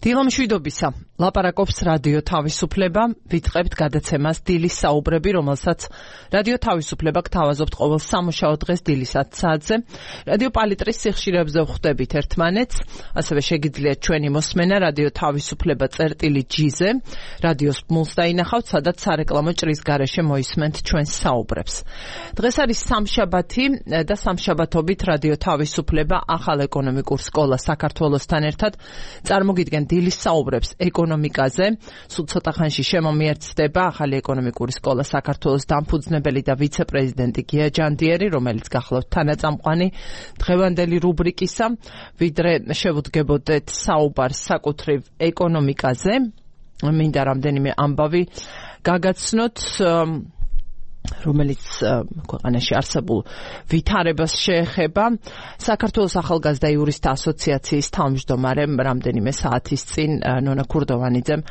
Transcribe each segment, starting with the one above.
დილომშვიდობისა, ლაპარაკობს რადიო თავისუფლება, ვიწყებთ გადაცემას დილის საუბრები, რომელსაც რადიო თავისუფლება გთავაზობთ ყოველ სამუშაო დღეს დილის 10 საათზე. რადიო პალიტრის სიხშირეებზე ვხვდებით ერთმანეთს, ასევე შეგიძლიათ ჩვენი მოსმენა რადიო თავისუფლება წერტილი-G-ზე, რადიოს პულს დაინახავთ, სადაც სარეკლამო ჭრის გარეშე მოისმენთ ჩვენს საუბრებს. დღეს არის სამშაბათი და სამშაბათობით რადიო თავისუფლება ახალ ეკონომიკურ სკოლას საქართველოსთან ერთად წარმოგიდგენ დილის საუბრებს ეკონომიკაზე. სულ ცოტა ხანში შემომიერთდება ახალი ეკონომიკური სკოლა საქართველოს დამფუძნებელი და ვიცე-პრეზიდენტი გია ჯანდიერი, რომელიც გახლავთ თანაწამყვანი დღევანდელი რუბრიკისა. ვიდრე შევუდგებოდეთ საუბარს საკუთრივ ეკონომიკაზე, მინდა რამდენიმე ამბავი გაგაცნოთ, რომელიც ქვეყანაში არსებულ ვითარებას შეეხება. საქართველოს ახალგაზრდა იურისტთა ასოციაციის თავმჯდომარე რამდენიმე საათის წინ ნონა ქურდოვანიძემ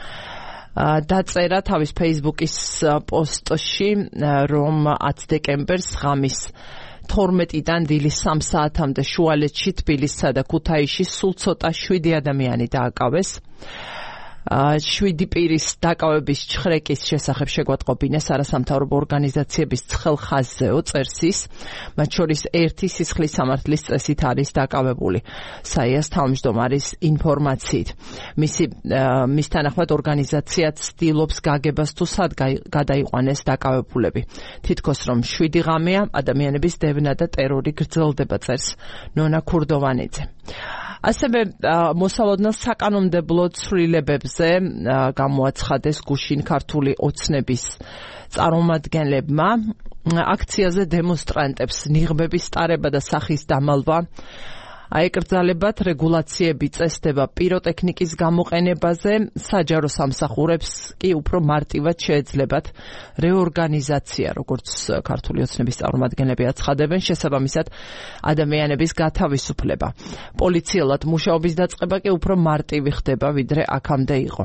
დაწერა თავის Facebook-ის პოსტში, რომ 10 დეკემბერს ღამის 12-დან დილის 3 საათამდე შუალედში თბილისსა და ქუთაისში სულ ცოტა 7 ადამიანი დააკავეს. 7 პირის დაკავების ჩხრეკის შესახებ შეგვატყობინეს არასამთავრობო ორგანიზაციების ცხელ ხაზზეო, წერს ის, მათ შორის ერთი სისხლის სამართლის წესით არის დაკავებული. საიას თავმჯდომარის ინფორმაციით. მის თანახმად ორგანიზაციაც ცდილობს გაგებას თუ სად გადაიყვანეს დაკავებულები. თითქოს რომ 7 ღამეა, ადამიანების დევნა და ტერორი გრძელდება, წერს ნონა ქურდოვანიძე. ასევე მოსალოდნელ საკანონმდებლო ცვლილებებზე გამოაცხადეს გუშინ ქართული ოცნების წარმომადგენლებმა. აქციაზე დემონსტრანტებს ნიღბების ტარება და სახის დამალვა აეკრძალებათ, რეგულაციები წესდება პიროტექნიკის გამოყენებაზე, საჯარო სამსახურებს კი უფრო მარტივად შეეძლებათ რეორგანიზაცია, როგორც ქართული ოცნების წარმომადგენლები აცხადებენ, შესაბამისად ადამიანების გათავისუფლება. პოლიციელად მუშაობის დაწყება კი უფრო მარტივი ხდება, ვიდრე აქამდე იყო.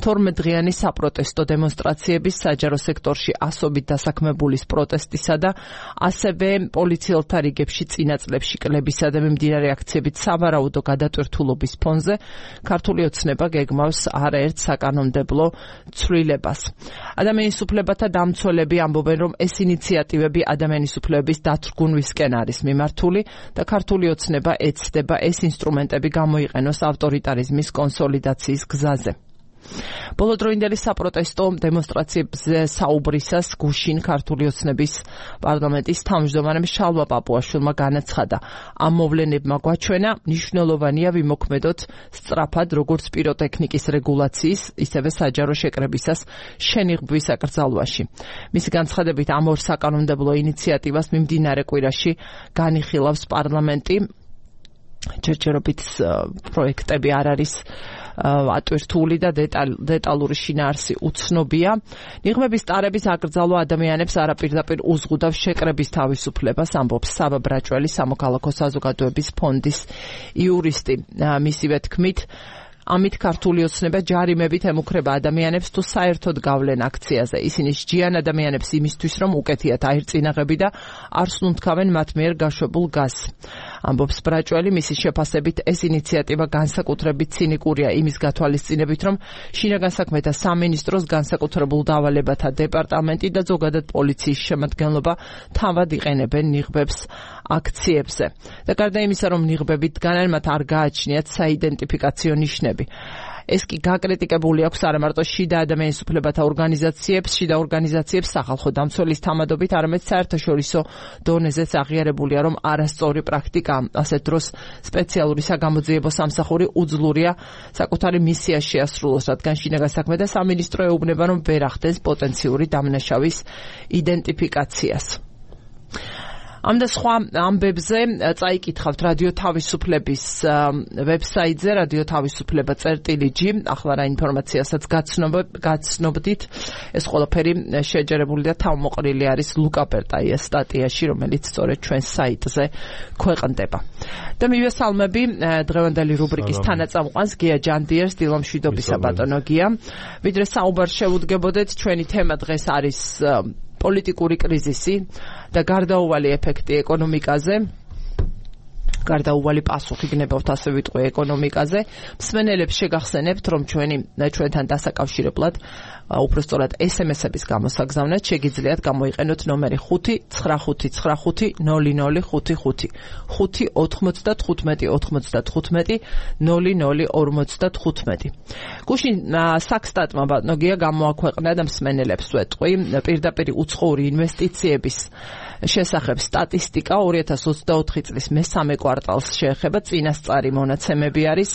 12 დღიანი საპროტესტო დემონსტრაციების, საჯარო სექტორში ასობით დასაქმებულის პროტესტისა და ასევე პოლიციელთა რიგებში წინა წლებში კლებისა და მიმდინარე აქციებით სავარაუდო გადატვირთულობის ფონზე ქართული ოცნება გეგმავს არაერთ საკანონმდებლო ცვლილებას. ადამიანის უფლებათა დამცველები ამბობენ, რომ ეს ინიციატივები ადამიანის უფლებების დაცრგუნვისკენ არის მიმართული და ქართული ოცნება ეცდება ეს ინსტრუმენტები გამოიყენოს ავტორიტარიზმის კონსოლიდაციის გზაზე. ბოლოდროინდელი საპროტესტო დემონსტრაციებზე საუბრისას გუშინ ქართული ოცნების პარლამენტის თავმჯდომარემ შალვა პაპუაშვილმა განაცხადა, ამ მოვლენებმა გვაჩვენა, მნიშვნელოვანია ვიმოქმედოთ სწრაფად როგორც პიროტექნიკის რეგულაციის, ისევე საჯარო შეკრებისას შენიღბვის აკრძალვაში. მისი განცხადებით, ამ ორ საკანონმდებლო ინიციატივას მიმდინარე კვირაში განიხილავს პარლამენტი. ჯერჯერობით პროექტები არ არის ატვირთული და დეტალური შინაარსი უცნობია. ნიღბების ტარების აკრძალვა ადამიანებს არაპირდაპირ უზღუდავს შეკრების თავისუფლებას, ამბობს სავა ბრაჭველი, სამოქალაქო საზოგადოების ფონდის იურისტი. მისივე თქმით, ამით ქართული ოცნება ჯარიმებით ემუქრება ადამიანებს თუ საერთოდ გავლენ აქციაზე. ისინი სჯიან ადამიანებს იმისთვის, რომ უკეთიათ აირწინაღები და არ სუნთქავენ მათ მიერ გაშვებულ გაზს. ამბობს ბრაჭველი, მისი შეფასებით ეს ინიციატივა განსაკუთრებით ცინიკურია იმის გათვალისწინებით, რომ შინაგან საქმეთა სამინისტროს განსაკუთრებულ დავალებათა დეპარტამენტი და ზოგადად პოლიციის შემადგენლობა თავად იყენებენ ნიღბებს აქციებზე. და გარდა იმისა, რომ ნიღბები დგანან, მათ არ გააჩნიათ საიდენტიფიკაციო ნიშნები. ეს კი გაკრიტიკებული აქვს არა მარტო შიდა ადამიანის უფლებათა ორგანიზაციებს სახალხო დამცველის თამადობით, არამედ საერთაშორისო დონეზეც აღიარებულია, რომ არასწორი პრაქტიკა. ასეთ დროს სპეციალური საგამოძიებო სამსახური უძლურია საკუთარი მისია შეასრულოს, რადგან შინაგან საქმეთა სამინისტრო ეუბნება, რომ ვერ ახდენს პოტენციური დამნაშავის იდენტიფიკაციას. ამ და სხვა ამბებზე წაიკითხავთ რადიო თავისუფლების ვებსაიტზე, რადიო თავისუფლება წერტილი-G. ახლა რა ინფორმაციასაც გაცნობდით, ეს ყველაფერი შეჯერებული და თავმოყრილი არის ლუკა პერტაიას სტატიაში, რომელიც სწორედ ჩვენს საიტზე ქვეყნდება. და მივესალმები დღევანდელი რუბრიკის თანაწამყვანს გია ჯანდიერს. დილომშვიდობისა ბატონო გია. ვიდრე საუბარს შევუდგებოდეთ, ჩვენი თემა დღეს არის პოლიტიკური კრიზისი და გარდაუვალი ეფექტი ეკონომიკაზე. გარდაუვალი პასუხი გნებავთ, ასე ვიტყვი, ეკონომიკაზე. მსმენელებს შეგახსენებთ, რომ ჩვენთან დასაკავშირებლად უпростоრად SMS-ების გამოსაგზავნად შეგიძლიათ გამოიყენოთ ნომერი 595950055 59595 გუშინ საქსტატმა ბატონოგია გამოაქვეყნა და მსმენელებს ვეტყვი პირდაპირ უცხოური ინვესტიციების შესახებ სტატისტიკა 2024 წლის მესამე კვარტალს შეეხება წინასწარი მონაცემები არის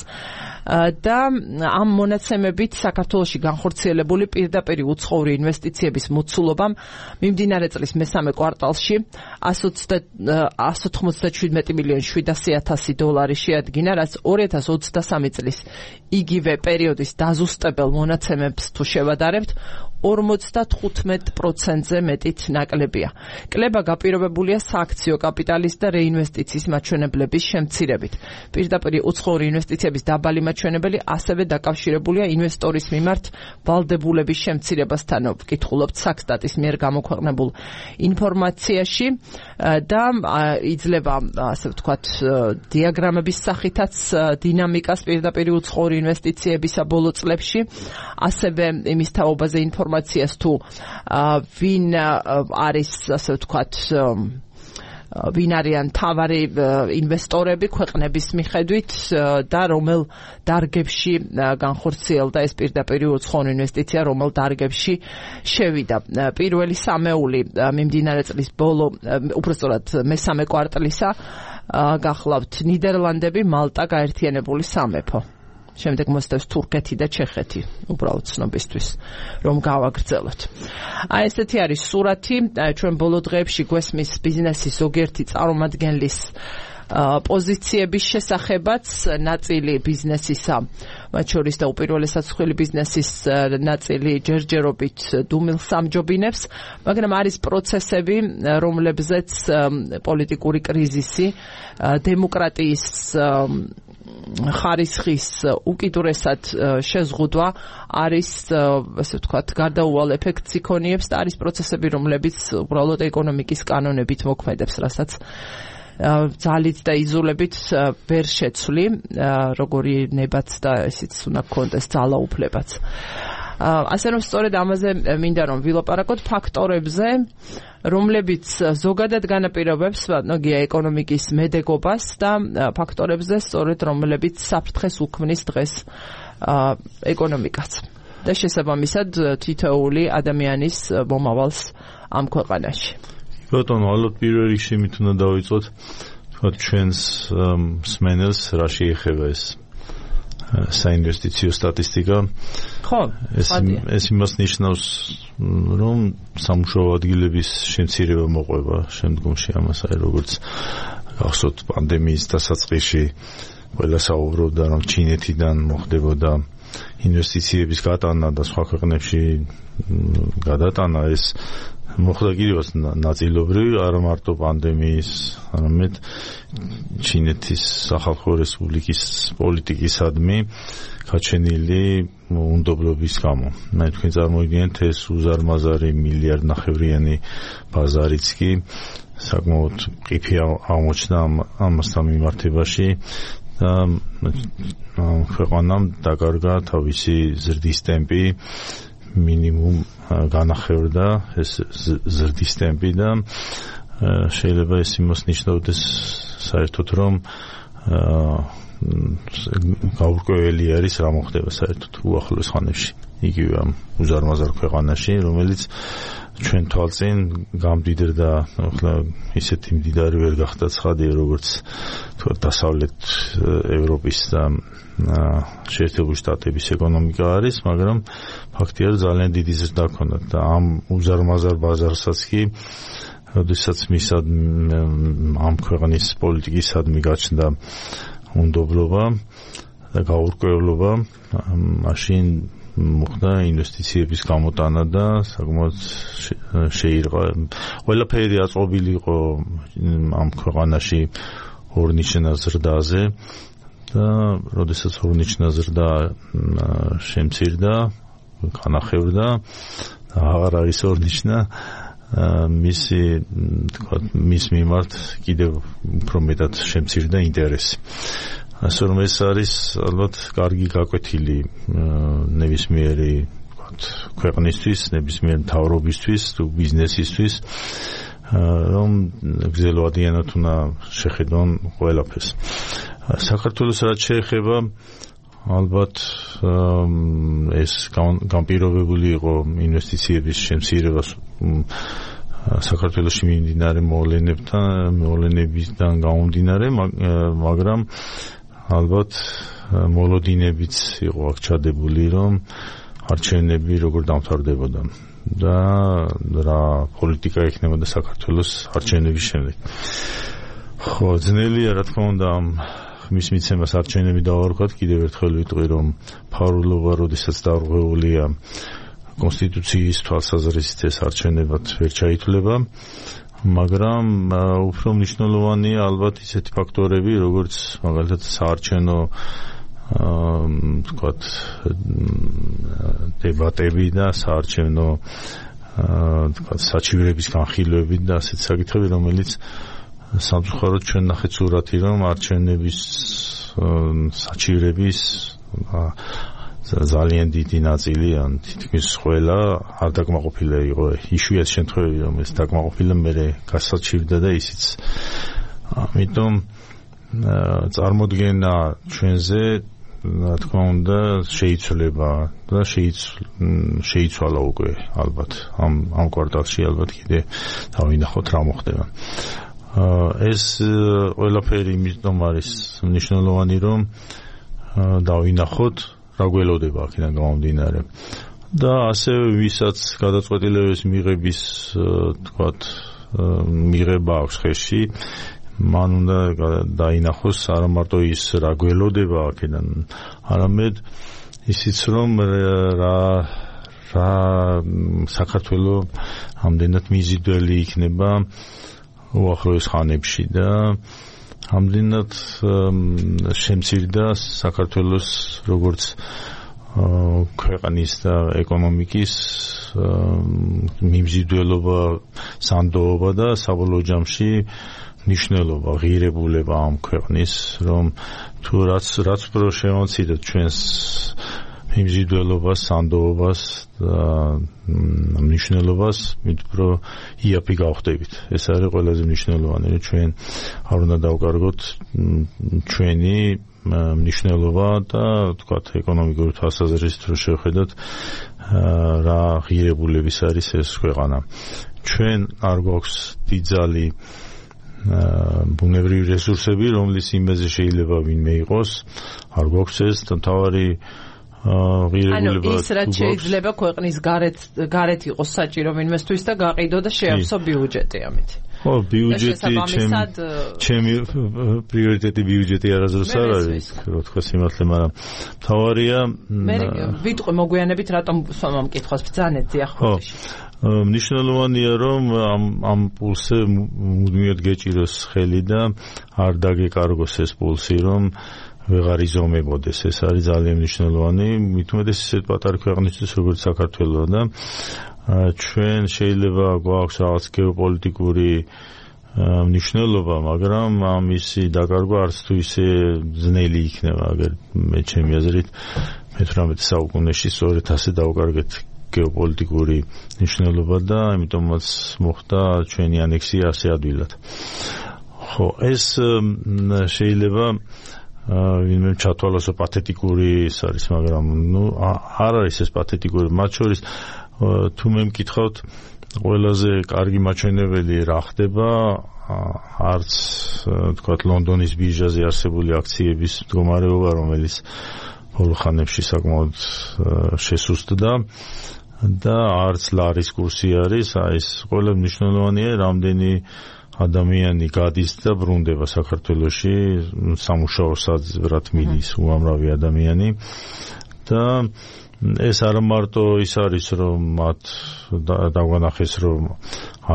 და ამ მონაცემებით საქართველოში განხორციელებული პირდაპირ უცხოური ინვესტიციების მოცულობამ მიმდინარე წლის მესამე კვარტალში 197 მილიონ 700,000 დოლარი შეადგინა, რაც 2023 წლის იგივე პერიოდის დაზუსტებელ მონაცემებს თუ შევადარებთ 55%-ზე მეტით ნაკლებია. კლება გაპირობებულია სააქციო კაპიტალის და რეინვესტიციის მაჩვენებლების შემცირებით. პირდაპირ უცხოური ინვესტიციების დაბალი მაჩვენებელი ასევე დაკავშირებულია ინვესტორის მიმართ ვალდებულების შემცირებასთან, ვკითხულობთ საქსტატის მიერ გამოქვეყნებულ ინფორმაციაში და იძლევა, ასე ვთქვათ, დიაგრამების სახითაც დინამიკას პირდაპირ უცხოური ინვესტიციებისა ბოლო წლებში, ასევე იმის თაობაზე ინფორმაციას თუ ვინ არის, ასე ვთქვათ, ვინ არიან თავარი ინვესტორები ქვეყნების მიხედვით და რომელ დარგებში განხორციელდა ეს პირდაპირ უცხოური ინვესტიცია, რომელ დარგებში შევიდა. პირველი სამეული მიმდინარე წლის ბოლო, უпростоრად მესამე კვარტალისა გახლავთ ნიდერლანდები, მალტა, გაერთიანებული სამეფო. შემდეგ მოსდევს თურქეთი და ჩეხეთი, უბრალოდ ცნობისთვის, რომ გავაგრძელოთ. ესეთი არის სურათი, ჩვენ ბოლო დღეებში გვესმის ბიზნესის ზოგიერთი წარმომადგენლის პოზიციების შესახებაც, ნაწილი ბიზნესისა, მათ შორის და უპირველესად მსხვილი ბიზნესის ნაწილი ჯერჯერობით დუმილს ამჯობინებს, მაგრამ არის პროცესები, რომლებზეც პოლიტიკური კრიზისი, დემოკრატიის ხარისხის უკიდურესად შეზღუდვა არის, ასე ვთქვათ, გარდაუვალ ეფექტს იქონიებს და არის პროცესები, რომლებიც უბრალოდ ეკონომიკის კანონებით მოქმედებს, რასაც ძალით და იზოლებით ვერ შეცვლი, როგორი ნებაც და ესეც უნდა გქონდეს ძალაუფლებაც. ასე რომ სწორედ ამაზე მინდა რომ ვილაპარაკოთ ფაქტორებზე, რომლებიც ზოგადად განაპირობებს ბატონოგია ეკონომიკის მედეგობას და ფაქტორებზე სწორედ რომლებიც საფრთხეს უქმნის დღეს ეკონომიკაც და შესაბამისად თითოეული ადამიანის მომავალს ამ ქვეყანაში. ბატონო, ალბათ პირველ რიგში მით უნდა დავიწყოთ თქვა ჩვენს მსმენელს რა შეეხება ეს საინვესტიციო სტატისტიკა. ხო, ეს იმას ნიშნავს, რომ სამუშაო ადგილების შემცირება მოყვება შემდგომში ამას, როგორც გახსოვთ პანდემიის დასაწყისში ყველა საუბრობდა, რომ ჩინეთიდან მოხდებოდა ინვესტიციების გატანა და სხვა ქვეყნებში გადატანა, ეს მოხდა კიდევაც ნაწილობრივ, არა მარტო პანდემიის, არამედ ჩინეთის სახალხო რესპუბლიკის პოლიტიკისადმი გაჩენილი უნდობლობის გამო. თქვენ წარმოიდგინეთ ეს უზარმაზარი მილიარდნახევრიანი ბაზარიც კი საკმაოდ ყიფი აღმოჩნდა ამასთან მიმართებაში და ქვეყანამ დაკარგა თავისი ზრდის ტემპი, მინიმუმ განახევრდა ეს ზრდის ტემპი და შეიძლება ეს იმას ნიშნავდეს საერთოდ, რომ გაურკვეველი არის რა მოხდება საერთოდ უახლოეს ხანებში იგივე ამ უზარმაზარ ქვეყანაში, რომელიც ჩვენ თვალწინ გამდიდრდა, ახლა ისეთი მდიდარი ვერ გახდა ცხადია, როგორც თქვა დასავლეთ ევროპის და შეერთებული შტატების ეკონომიკა არის, მაგრამ ფაქტია, რომ ძალიან დიდი ზრდა ჰქონდა და ამ უზარმაზარ ბაზარსაც კი როდესაც ამ ქვეყნის პოლიტიკისადმი გაჩნდა უნდობლობა და გაურკვევლობა, მაშინ მოხდა ინვესტიციების გამოტანა და საკმაოდ შეირყა. ყველაფერი აწყობილი იყო ამ ქვეყანაში ორნიშნა ზრდაზე და როდესაც ორნიშნა ზრდა შემცირდა, განახევრდა, აღარ არის ორნიშნა, მისი თქვა მის მიმართ კიდევ უფრო მეტად შემცირდა ინტერესი. ასე რომ ეს არის ალბათ კარგი გაკვეთილი ნებისმიერი ქვეყნისთვის, ნებისმიერ მთავრობისთვის თუ ბიზნესისთვის, რომ გრძელვადიანად უნდა შეხედონ ყველაფერს. საქართველოს რაც შეეხება, ალბათ ეს განპირობებული იყო ინვესტიციების შემცირებას საქართველოში მიმდინარე მოვლენებიდან გამომდინარე, მაგრამ ალბათ მოლოდინებიც იყო აქ ჩადებული, რომ არჩევნები როგორ დამთავრდებოდა და რა პოლიტიკა ექნებოდა საქართველოს არჩევნების შემდეგ. ხო, ძნელია რა თქმა უნდა მის მიცემას არჩევნები დავარქვათ, კიდევ ერთხელ ვიტყვი, რომ ფარულობა როდესაც დარღვეულია კონსტიტუციის თვალსაზრისით ეს არჩევნებად ვერ ჩაითვლება, მაგრამ უფრო მნიშვნელოვანია ალბათ ისეთი ფაქტორები, როგორც მაგალითად საარჩევნო თქვათ დებატები და საარჩევნო თქვათ საჩივრების განხილვები და ასეთ საკითხები, რომელიც სამწუხაროდ ჩვენ ნახეთ სურათი, რომ არჩევნების საჩივრების ძალიან დიდი ნაწილი ან თითქმის ყველა არ დაკმაყოფილი იყო. იშვიათი შემთხვევები, რომ ეს დაკმაყოფილი მერე გასაჩივრდა და ისიც. ამიტომ წარმოდგენა ჩვენზე რა თქმა უნდა შეიცვლება და შეიცვალა უკვე ალბათ ამ კვარტალში ალბათ კიდე დავინახოთ რა მოხდება. ეს ყველაფერი იმიტომ არის მნიშვნელოვანი, რომ დავინახოთ რა გველოდება აქედან გამომდინარე და ასევე ვისაც გადაწყვეტილების მიღების თქვათ მიღება აქვს ხელში, მან უნდა დაინახოს არა მარტო ის რა გველოდება აქედან, არამედ ისიც რომ რა საქართველოს ამდენად მიზიდველი იქნება უახლოეს ხანებში და ამდენად შემცირდა საქართველოს როგორც ქვეყნის და ეკონომიკის მიმზიდველობა, სანდოობა და საბოლოო ჯამში მნიშვნელობა, ღირებულება ამ ქვეყნის, რომ თუ რაც უფრო შემოვციდეთ ჩვენს მიმზიდველობას, სანდოობას და მნიშვნელობას, მით უფრო იაფი გავხდებით. ეს არის ყველაზე მნიშვნელოვანი, რომ ჩვენ არ უნდა დავკარგოთ ჩვენი მნიშვნელობა და თქვათ ეკონომიკური თვალსაზრისით რომ შევხედოთ რა ღირებულების არის ეს ქვეყანა. ჩვენ არ გვაქვს დიდძალი ბუნებრივი რესურსები, რომლის იმაზე შეიძლება ვინმე იყოს, არ გვაქვს ეს მთავარი ღირებულება. ის რაც შეიძლება ქვეყნის გარეთ იყოს საჭირო ვინმესთვის და გაყიდო და შეავსო ბიუჯეტი ამით. ხო, ბიუჯეტი ჩემი პრიორიტეტი ბიუჯეტი არასდროს არ არის, რა თქმა სიმართლე, მაგრამ მთავარია მე ვიტყვი მოგვიანებით რატომ ამ კითხვას ბრძანეთ ძიახმოში. მნიშვნელოვანია რომ ამ პულსზე მუდმივად გეჭიროს ხელი და არ დაგეკარგოს ეს პულსი, რომ ვეღარ იზომებოდეს. ეს არის ძალიან მნიშვნელოვანი, მით უმეტეს ისეთ პატარა ქვეყნისთვის როგორც საქართველო და ჩვენ შეიძლება გვაქვს რაღაც გეოპოლიტიკური მნიშვნელობა, მაგრამ ამისი დაკარგვა არც თუ ისე ძნელი იქნება, აგერ მე ჩემი აზრით მე-18 საუკუნეში სწორედ ასე დავკარგეთ გეოპოლიტიკური მნიშვნელობა და ამიტომაც მოხდა ჩვენი ანექსია ასე ადვილად. ხო, ეს შეიძლება ვინმე ჩათვალოს პათეტიკური ის არის, მაგრამ არ არის ეს პათეტიკური, მათ შორის თუ მე მკითხავთ ყველაზე კარგი მაჩვენებელი რა ხდება არც თქვათ ლონდონის ბირჟაზე არსებული აქციების მდგომარეობა, რომელიც ბოლო ხანებში საკმაოდ შესუსტდა და არც ლარის კურსი არის, ეს ყველა მნიშვნელოვანია, რამდენი ადამიანი გადის და ბრუნდება საქართველოში, სამუშაო საძბრად მიდის უამრავი ადამიანი და ეს არ მარტო ის არის, რომ მათ დაგვანახეს, რომ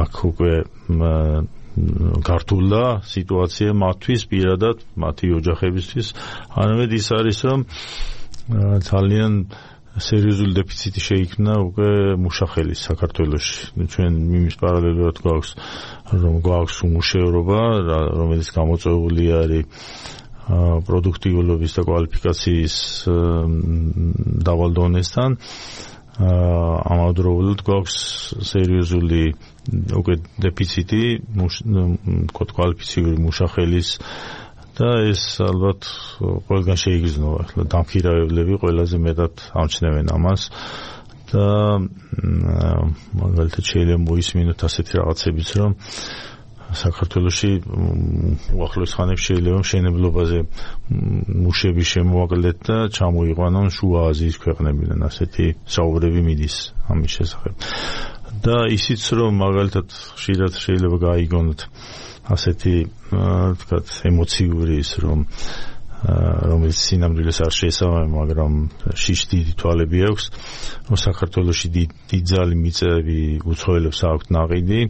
აქ უკვე გართულა სიტუაცია მათთვის პირადად, მათი ოჯახებისთვის, არამედ ის არის, რომ ძალიან სერიოზული დეფიციტი შეიქმნა უკვე მუშახელის საქართველოში. ჩვენ იმის პარალელურად გვაქვს უმუშევრობა, რომელიც გამოწვეული არის პროდუქტიულობის და კვალიფიკაციის დავალ დონესთან. ამავდროულად გვაქვს სერიოზული უკვე დეფიციტი კვალიფიციური მუშახელის და ეს ალბათ ყველგან შეიგრძნობა. ახლა დამქირავებლები ყველაზე მეტად ამჩნევენ ამას და მაგალითად შეიძლება მოისმინოთ ასეთი რაღაცებიც, რომ საქართველოში უახლოეს ხანებში შეიძლება მშენებლობაზე მუშები შემოაკლდეთ და ჩამოიყვანონ შუა აზიის ქვეყნებიდან, ასეთი საუბრები მიდის ამის შესახებ. და ისიც რომ მაგალითად ხშირად შეიძლება გაიგონოთ ასეთი ვთქვათ ემოციური ის რომელიც სინამდვილეს არ შეესაბამება, მაგრამ შიშ დიდი თვალები აქვს, რომ საქართველოში დიდძალი მიწები უცხოელებს აქვთ ნაყიდი.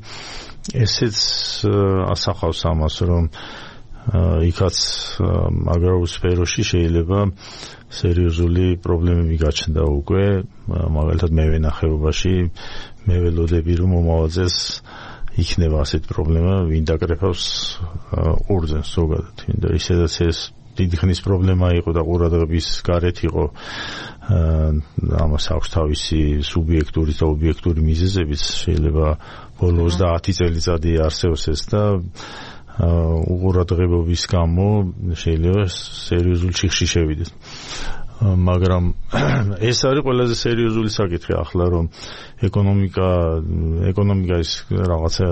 ესეც ასახავს ამას, რომ იქაც აგრარულ სფეროში შეიძლება სერიოზული პრობლემები გაჩნდა უკვე, მაგალითად მევენახეობაში მე ველოდები რომ მომავალ წელს იქნება ასეთი პრობლემა, ვინ დაკრეფავს ყურძენს ზოგადად, და ისედაც ეს დიდი ხნის პრობლემა იყო და ყურადღების გარეთ იყო. ამას აქვს თავისი სუბიექტური და ობიექტური მიზეზებიც, შეიძლება ბოლო 30 წელიწადი არსებობს ეს და უყურადღებობის გამო შეიძლება სერიოზული ჩიხში შევიდეს. მაგრამ ეს არის ყველაზე სერიოზული საკითხი ახლა, რომ ეკონომიკა ის რაღაცა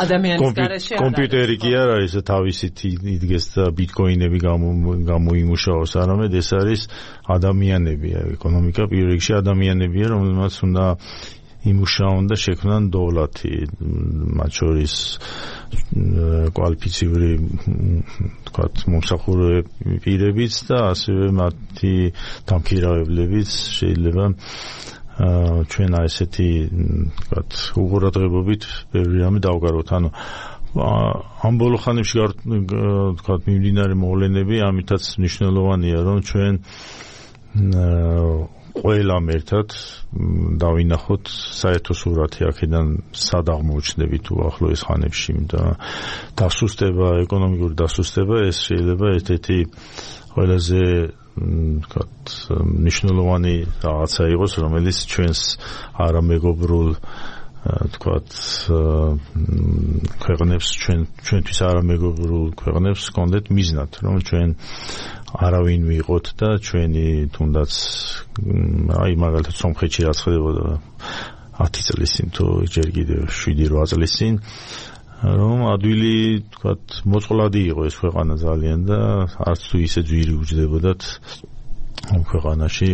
ადამიანის გარეშე კომპიუტერი კი არ არის, თავისით იდგეს და ბიტკოინები გამოიმუშაოს, არამედ ეს არის ადამიანები. ეკონომიკა პირველ რიგში ადამიანებია, რომელმაც უნდა იმუშაონ და შექმნან დოვლათი, მათ შორის კვალიფიციური ვთქვათ მომსახურე პირებიც და ასევე მათი დამქირავებლებიც შეიძლება ჩვენ ესეთი ვთქვათ უყურადღებობით ბევრი რამე დავგაროთ. ანუ ამ ბოლო ხანებში ვთქვათ მიმდინარე მოვლენები ამითაც მნიშვნელოვანია, რომ ჩვენ ყველამ ერთად დავინახოთ საერთო სურათი აქედან სად აღმოჩნდებით უახლოეს ხანებში და დასუსტება, ეკონომიკური დასუსტება ეს შეიძლება ერთ-ერთი ყველაზე ვთქვათ მნიშვნელოვანი რაღაცა იყოს, რომელიც ჩვენს არამეგობრულ ვთქვათ ქვეყნებს ჩვენთვის არამეგობრულ ქვეყნებს გქონდეთ მიზნად, რომ ჩვენ არავინ ვიყოთ და ჩვენი თუნდაც მაგალითად სომხეთში რაც ხდებოდა 10 წლის წინ თუ ჯერ კიდევ 7-8 წლის წინ, რომ ადვილი ვთქვათ მოწყვლადი იყო ეს ქვეყანა ძალიან და არც თუ ისე ძვირი უჯდებოდათ ამ ქვეყანაში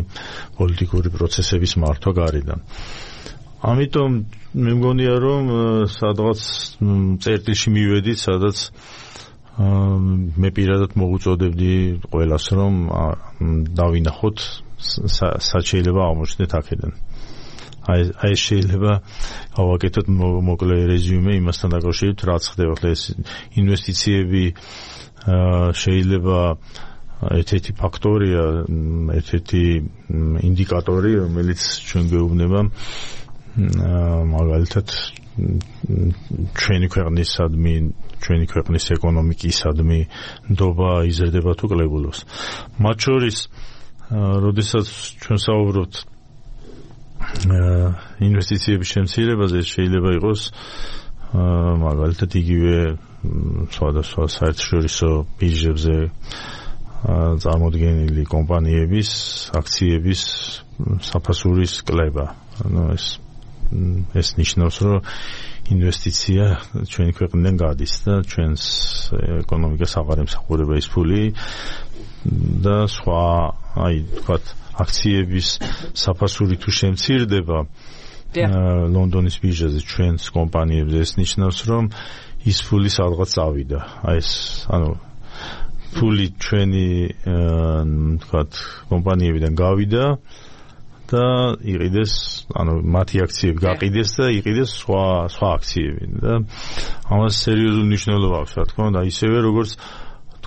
პოლიტიკური პროცესების მართვა გარედან. ამიტომ მე მგონია, რომ სადღაც წერტილში მივედით, სადაც მე პირადად მოუწოდებდი ყველას, რომ დავინახოთ სად შეიძლება აღმოჩნდეთ აქედან. აი შეიძლება გავაკეთოთ მოკლე რეზიუმე იმასთან დაკავშირებით, რაც ხდება. ეს ინვესტიციები შეიძლება ერთ-ერთი ფაქტორია, ერთ-ერთი ინდიკატორი, რომელიც ჩვენ გვეუბნება მაგალითად ჩვენი ქვეყნის ეკონომიკისადმი ნდობა იზრდება თუ კლებულობს. მათ შორის, როდესაც ჩვენ საუბრობთ ინვესტიციების შემცირებაზე, შეიძლება იყოს მაგალითად იგივე სხვადასხვა საერთაშორისო ბირჟებზე წარმოდგენილი კომპანიების აქციების საფასურის კლება. ეს ნიშნავს, რომ ინვესტიცია ჩვენი ქვეყნიდან გადის და ჩვენს ეკონომიკას აღარ ემსახურება ის ფული და სხვა, ვთქვათ, აქციების საფასური თუ შემცირდება ლონდონის ბირჟაზე ჩვენს კომპანიებზე, ეს ნიშნავს, რომ ის ფული სადღაც წავიდა. ფული ჩვენი ვთქვათ კომპანიებიდან გავიდა და იყიდეს, მათი აქციები გაყიდეს და იყიდეს სხვა აქციები და ამას სერიოზული მნიშვნელობა აქვს, რა თქმა უნდა, ისევე როგორც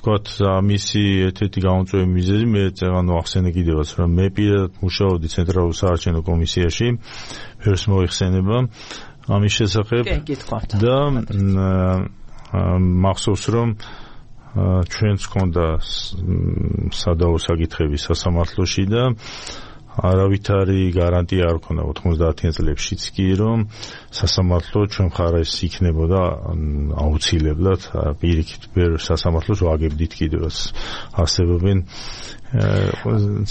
თქვათ მისი ერთ-ერთი გამოწვეული მიზეზი მე წეგანო ახსენე კიდევაც რომ მე პირადად მუშაობდი ცენტრალურ საარჩევნო კომისიაში ვერს მოიხსენება ამის შესახებ და მახსოვს რომ ჩვენც ჰქონდა სადაო საკითხები სასამართლოში და არავითარი გარანტია არ ქონდა 90-იან წლებშიც კი რომ სასამართლო ჩვენ მხარეს იქნებოდა აუცილებლად პირიქით ვერ სასამართლოს ვაგებდით კიდევაც არსებობენ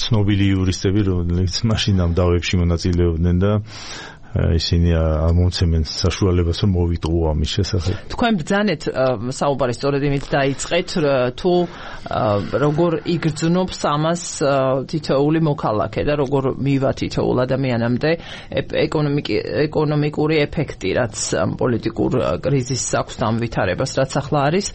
ცნობილი იურისტები რომლებიც მაშინ ამ დავებში მონაწილეობდნენ და ისინი ამომცემენ საშუალებას რომ მოვიტყუო ამის შესახებ. თქვენ ბრძანეთ საუბარი სწორედ იმით დაიწყეთ თუ როგორ იგრძნობს ამას თითოეული მოქალაქე და როგორ მივა თითოეულ ადამიანამდე ეკონომიკური ეფექტი რაც პოლიტიკურ კრიზისს აქვს და ამ ვითარებას რაც ახლა არის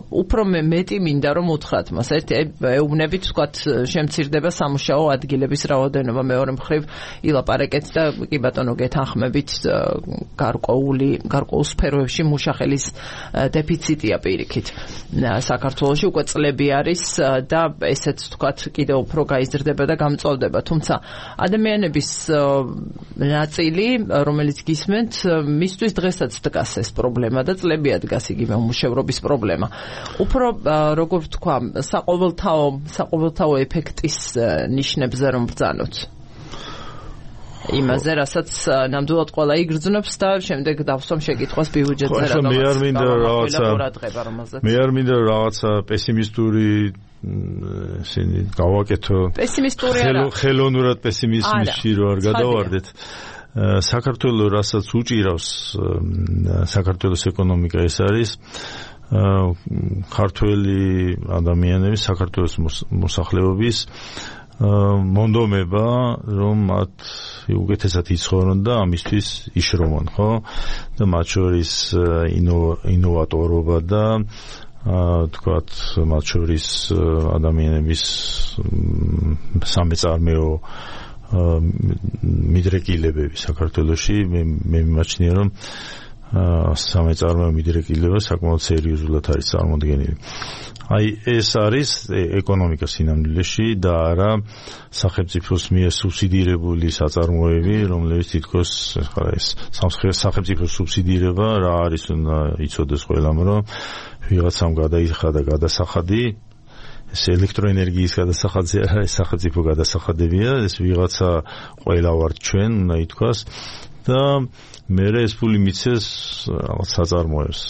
უფრო მეტი მინდა რომ უთხრათ მას ეუბნებით თქვათ შემცირდება სამუშაო ადგილების რაოდენობა მეორე მხრივ ილაპარაკეთ და კი ბატონო თანხმებით გარკვეულ სფეროებში მუშახელის დეფიციტია პირიქით საქართველოში უკვე წლები არის და ესეც თქვათ კიდევ უფრო გაიზრდება და გამწვავდება თუმცა ადამიანების ნაწილი რომელიც გისმენთ მისთვის დღესაც დგას ეს პრობლემა და წლებია დგას იგივე უმუშევრობის პრობლემა უფრო როგორ ვთქვა საყოველთაო ეფექტის ნიშნებზე რომ ბრძანოთ იმაზე, რასაც ნამდვილად ყველა იგრძნობს და შემდეგ დავსვამ შეკითხვას ბიუჯეტზე რა მე არ მინდა რაღაცა პესიმისტური ისინი გავაკეთო ხელოვნურად პესიმიზმში რო არ გადავარდეთ საქართველოს რასაც უჭირავს საქართველოს ეკონომიკა ეს არის ქართველი ადამიანების საქართველოს მოსახლეობის მონდომება რომ მათ უკეთესად იცხოვრონ და ამისთვის იშრომონ ხო და მათ შორის ინოვატორობა და თქვათ მათ შორის ადამიანების სამეწარმეო მიდრეკილებები საქართველოში მე მიმაჩნია რომ სამეწარმეო მიდრეკილება საკმაოდ სერიოზულად არის წარმოდგენილი აი ეს არის ეკონომიკა სინამდვილეში და არა სახელმწიფოს მიერ სუბსიდირებული საწარმოები, რომლებიც თითქოს ეს სახელმწიფოს სუბსიდირება რა არის უნდა იცოდეს ყველამ, რომ ვიღაცამ გადაიხადა გადასახადი ეს ელექტროენერგიის გადასახადზე არ არის სახელმწიფო გადასახადებია, ეს ვიღაცა ყველა ვართ ჩვენ უნდა ითქვას და მე ეს ფული მიცეს რაღაც საწარმოებს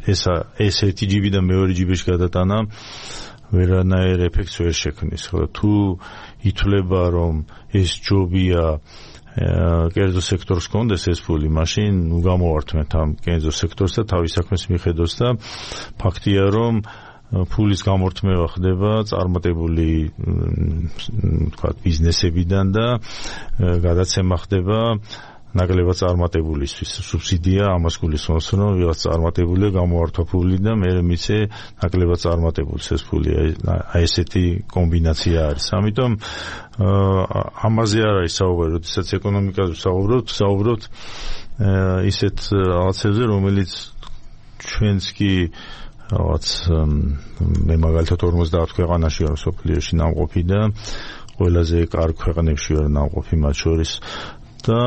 ეს ერთი ჯიბი და მეორე ჯიბეში გადატანა ვერანაირ ეფექტს ვერ შექმნის ხო თუ ითვლება რომ ეს ჯობია კერძო სექტორს კონდეს ეს ფული მაშინ ნუ გამოვართმეთ ამ კერძო სექტორს და თავის საქმეს მიხედოს და ფაქტია რომ ფულის გამორთმევა ხდება წარმატებული თქვა ბიზნესებიდან და გადაცემა ხდება ნაკლებად წარმატებულისთვის სუბსიდია ამას გულისხმობს რომ ვიღაც წარმატებულია გამოვართვა ფული და მე მიცე ნაკლებად წარმატებულს ეს ფული აი ესეთი კომბინაცია არის ამიტომ ამაზე არ არის საუბარი როდესაც ეკონომიკაზე საუბრობთ ისეთ რაღაცებზე რომელიც ჩვენც კი რაღაც მე მაგალითად 50 ქვეყანაში ვარ სოფლიოში ნამყოფი და ყველაზე კარგ ქვეყნებში ვარ ნამყოფი მათ შორის და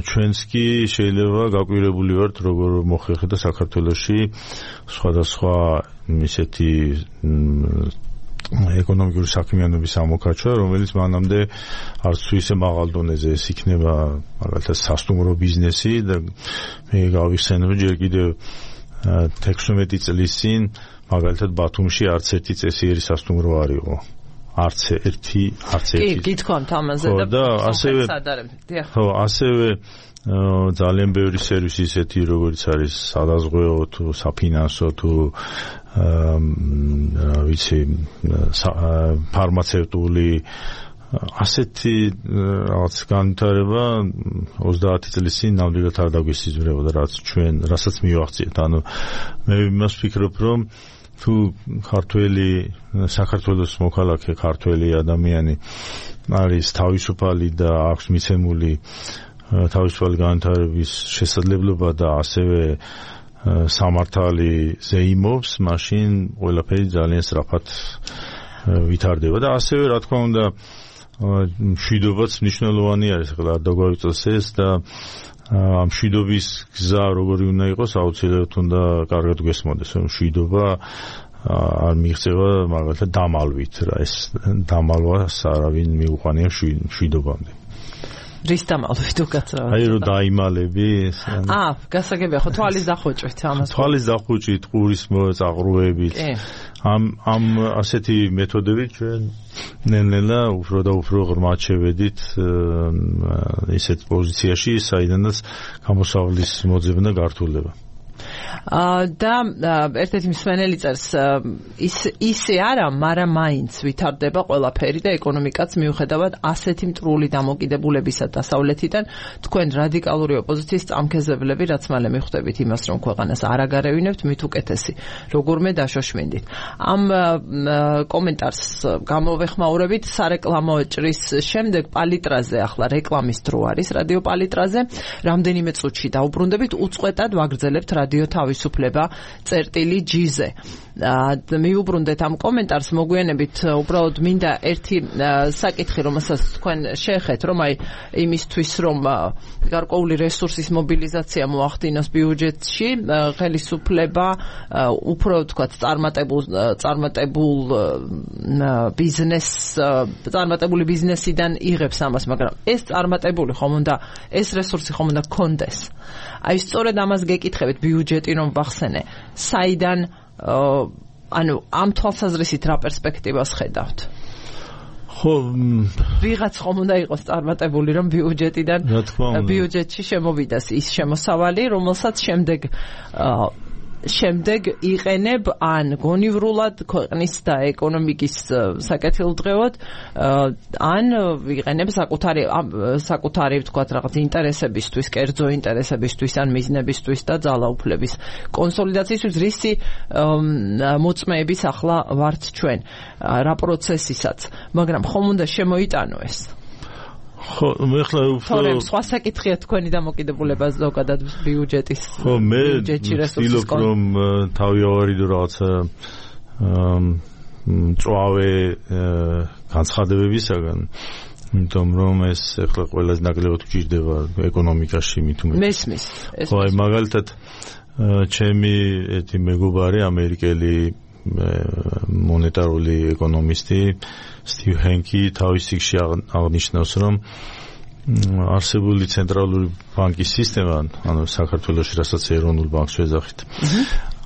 ჩვენც კი შეიძლება გაკვირებული ვართ როგორ მოხერხდა საქართველოში სხვადასხვა ისეთი ეკონომიკური საქმიანობის ამოქაჩვა რომელიც მანამდე არც თუ ისე მაღალ დონეზე ეს იქნება მაგალითად სასტუმრო ბიზნესი და მე გავიხსენებ ჯერ კიდევ 16 წლის წინ მაგალითად ბათუმში არც ერთი წესიერი სასტუმრო არ იყო არც ერთი კი გითხოვთ ამაზე და ასევე ძალიან ბევრი სერვისი ისეთი როგორც არის სადაზღვეო თუ საფინანსო თუ ვიცი ფარმაცევტული ასეთი რაღაც განვითარება 30 წლის წინ ნამდვილად არ დაგვისიზმრებოდა რასაც მივახციეთ ანუ მე იმას ვფიქრობ რომ თუ ქართველი საქართველოს მოქალაქე ქართველი ადამიანი არის თავისუფალი და აქვს მიცემული თავისუფალი განვითარების შესაძლებლობა და ასევე სამართალი ზეიმობს, მაშინ ყველაფერი ძალიან სწრაფად ვითარდება და ასევე რა თქმა უნდა მშვიდობაც მნიშვნელოვანი არის, ახლა არ დაგვავიწოს ეს და ამ მშვიდობის გზა როგორი უნდა იყოს, აუცილებლად უნდა კარგად გესმოდეს, რომ მშვიდობა არ მიიღწევა მაგალითად დამალვით რა, ეს დამალვას არავინ მიუყვანია მშვიდობამდე. რის დამალვით უკაცრავად? აი რომ დაიმალები გასაგებია ხო თვალის დახვეჭვით ამას. თვალის დახვეჭვით, ყურის წაღრუებით. ამ ასეთი მეთოდებით ჩვენ ნელ-ნელა უფრო და უფრო ღრმად შევედით ისეთ პოზიციაში, საიდანაც გამოსავლის მოძებნა გართულდება. და ერთ-ერთი მსმენელი წერს ისე არა, მაგრამ მაინც ვითარდება ყველაფერი და ეკონომიკაც მიუხედავად ასეთი მტრული დამოკიდებულებისა დასავლეთიდან თქვენ რადიკალური ოპოზიციის წამქეზებლები რაც მალე მიხვდებით იმას, რომ ქვეყანას არ აგარევინებთ, მით უკეთესი როგორმე დაშოშმინდით. ამ კომენტარს გამოვეხმაურებით სარეკლამო ჭრის შემდეგ პალიტრაზე, ახლა რეკლამის დრო არის რადიო პალიტრაზე, რამდენიმე წუთში დაუბრუნდებით, უწყვეტად ვაგრძელებთ რადიო თავისუფლება წერტილი G-ზე. მიუბრუნდეთ ამ კომენტარს, მოგვიანებით უბრალოდ მინდა ერთი საკითხი, რომელსაც თქვენ შეეხეთ, რომ აი იმისთვის, რომ გარკვეული რესურსის მობილიზაცია მოახდინოს ბიუჯეტში, ხელისუფლება უფრო ვთქვათ წარმატებული ბიზნესიდან იღებს ამას, მაგრამ ეს წარმატებული ხომ უნდა, ეს რესურსი ხომ უნდა გქონდეს. აი სწორედ ამას გეკითხებით ბიუჯეტი რომ ვახსენე, საიდან ანუ ამ თვალსაზრისით რა პერსპექტივას ხედავთ? ხო, ვიღაც ხომ უნდა იყოს წარმატებული რომ ბიუჯეტიდან ბიუჯეტში შემოვიდეს ის შემოსავალი, რომელსაც შემდეგ იყენებ ან გონივრულად ქვეყნის და ეკონომიკის საკეთილდღეოდ, ან იყენებ საკუთარი ვთქვათ რაღაც ინტერესებისთვის, კერძო ინტერესებისთვის ან მიზნებისთვის და ძალაუფლების კონსოლიდაციისთვის, რისი მოწმეების ახლა ვართ ჩვენ რა პროცესისაც, მაგრამ ხომ უნდა შემოიტანო ეს? ხო, მე ხლა უფრო სხვა საკითხია თქვენი დამოკიდებულება ზოგადად ბიუჯეტის. ხო, მე ვცდილობ რომ თავი ავარიდო რაღაცა მწვავე განცხადებებისაგან, იმიტომ რომ ეს ახლა ყველაზე ნაკლებად გვჭირდება ეკონომიკაში მით უმეტეს. მესმის. ხო, აი მაგალითად ჩემი ერთი მეგობარი ამერიკელი მონეტარული ეკონომისტი სტივ ჰენკი თავის წიგნში აღნიშნავს, რომ არსებული ცენტრალური ბანკის სისტემა, ანუ საქართველოში რასაც ეროვნულ ბანკს ვეძახით,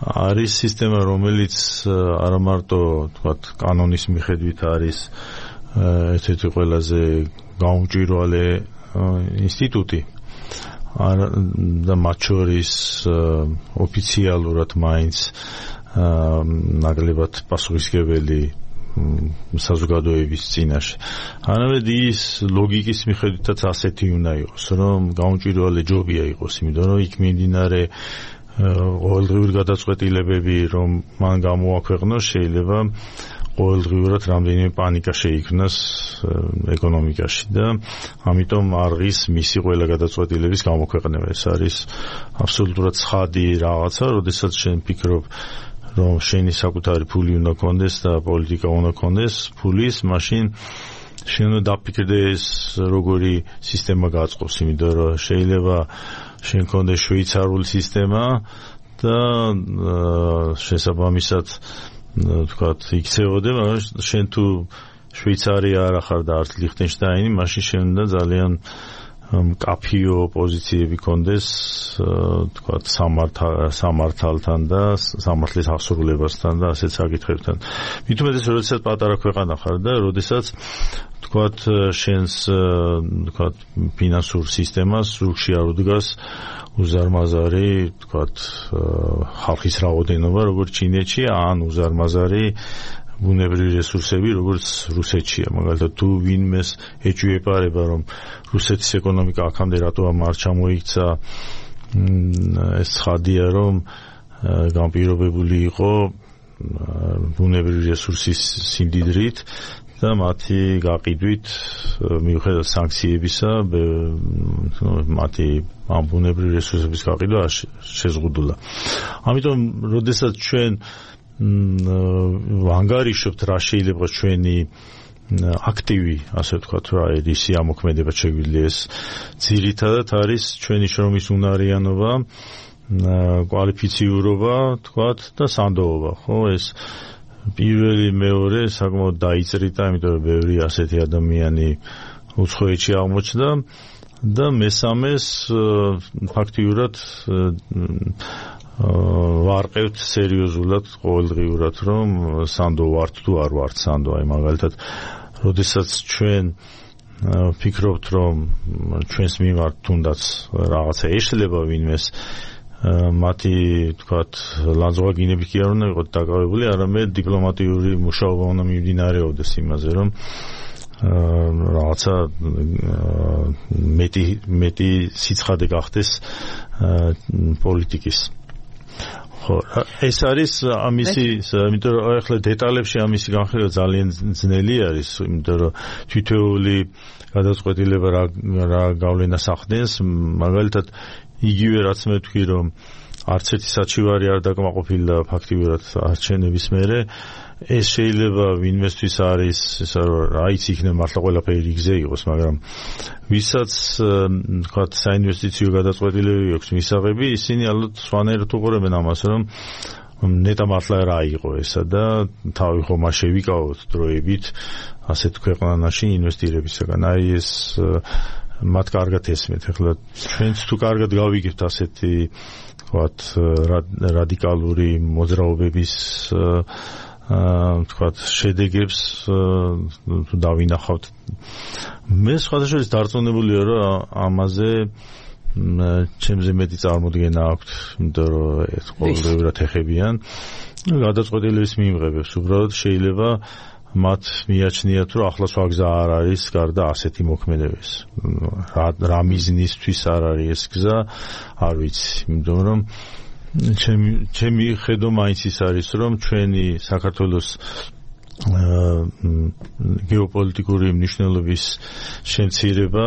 არის სისტემა, რომელიც არა მარტო თქვათ კანონის მიხედვით არის ერთ-ერთი ყველაზე გაუმჭვირვალე ინსტიტუტი და მათ შორის ოფიციალურად მაინც ნაკლებად პასუხისმგებელი საზოგადოების წინაშე. არამედ ის ლოგიკის მიხედვითაც ასეთი უნდა იყოს, რომ გაუმჭვირვალე ჯობია იყოს, იმიტომ რომ იქ მიმდინარე ყოველდღიური გადაწყვეტილებები, რომ მან გამოაქვეყნოს, შეიძლება ყოველდღიურად რამდენიმე პანიკა შეიქმნას ეკონომიკაში და ამიტომ არღის მისი ყველა გადაწყვეტილების გამოქვეყნება. ეს არის აბსოლუტურად ცხადი რაღაცა, როდესაც შენ ფიქრობ რომ შენი საკუთარი ფული უნდა გქონდეს და პოლიტიკა უნდა გქონდეს ფულის, მაშინ შენ უნდა დაფიქრდეს როგორი სისტემა გაწყობს, იმიტომ რომ შეიძლება შენ გქონდეს შვეიცარიული სისტემა და შესაბამისად თქვათ იქცეოდე, მაგრამ შენ თუ შვეიცარია არ ახარ და არც ლიხტენშტაინი, მაშინ შენ უნდა ძალიან კაფიო პოზიციები კონდეს თქვათ სამართალთან და სამართლის აღსრულებასთან და ასეთ საკითხებთან. მით უმეტეს როდესაც პატარა ქვეყანა ხარ და როდესაც თქვათ შენს თქვათ ფინანსურ სისტემას რუხში არ უდგას უზარმაზარი თქვათ ხალხის რაოდენობა როგორც ჩინეთში ან უზარმაზარი ბუნებრივი რესურსები როგორც რუსეთშია. მაგალითად თუ ვინმეს ეჭვიეპარება რომ რუსეთის ეკონომიკა აქამდე რატო არ ჩამოიქცა, ეს ცხადია რომ განპირობებული იყო ბუნებრივი რესურსის სიმდიდრით და მათი გაყიდვით მიუხედავად სანქციებისა მათი ამბუნებრივი რესურსების გაყიდვა შეზღუდულა. ამიტომ როდესაც ჩვენ ვანგარიშობთ რა შეიძლება ჩვენი აქტივი, ასე ვთქვათ, რა ისი ამოქმედება შეგვიძლია ეს ძირითადად არის ჩვენი შრომის უნარიანობა, კვალიფიციურობა, ვთქვათ, და სანდოობა, ხო, ეს პირველი მეორე საკმაოდ დაიწერიტა, იმიტომ რომ ბევრი ასეთი ადამიანი უცხოეთში აღმოჩნდა და მესამეს ფაქტიურად ვარყევთ სერიოზულად ყოველდღიურად რომ სანდო ვართ თუ არ ვართ სანდო. აი მაგალითად როდესაც ჩვენ ფიქრობთ რომ ჩვენს მიმართ თუნდაც რაღაცა ეშლება ვინმეს მათი თქვათ ლანძღვაგინებით კი არ უნდა იყოთ დაკავებული, არამედ დიპლომატიური მუშაობა უნდა მიმდინარეობდეს იმაზე რომ რაღაცა მეტი სიცხადე გახდეს პოლიტიკის. ხო, ეს არის ამისი, იმიტომ რომ ახლა დეტალებში ამისი განხილვა ძალიან ძნელი არის, იმიტომ რომ თითოეული გადაწყვეტილება რა გავლენას ახდენს, მაგალითად იგივე რაც მე ვთქვი რომ არც ერთი საჩივარი არ დაკმაყოფილდა ფაქტიურად არჩევნების მერე, ეს შეიძლება ვინმესთვის არის ესა რაიც იქნება მართლა ყველაფერი რიგზე იყოს, მაგრამ ვისაც თქვათ საინვესტიციო გადაწყვეტილებები აქვს მისაღები, ისინი ალბათ სხვანაირად უყურებენ ამას, რომ ნეტა მართლა რა იყო ესა და თავი ხომ არ შევიკავოთ დროებით ასეთ ქვეყანაში ინვესტირებისაგან. აი ეს მათ კარგად ესმეთ. ახლა ჩვენც თუ კარგად გავიგებთ ასეთი თქვათ რადიკალური მოძრაობების თქვათ შედეგებს თუ დავინახავთ. მე სხვადასხვა დარწმუნებულია რომ ამაზე ჩემზე მეტი წარმოდგენა აქვს, იმიტომ რომ ეს ყოველდღიურად ეხებიან გადაწყვეტილების მიმღებებს. უბრალოდ შეიძლება მათ მიაჩნიათ რომ ახლა სხვა გზა არ არის გარდა ასეთი მოქმედების. რა მიზნისთვის არ არის ეს გზა, არ ვიცი, იმიტომ რომ ჩემი ხედვა მაინც ის არის რომ ჩვენი საქართველოს გეოპოლიტიკური მნიშვნელობის შემცირება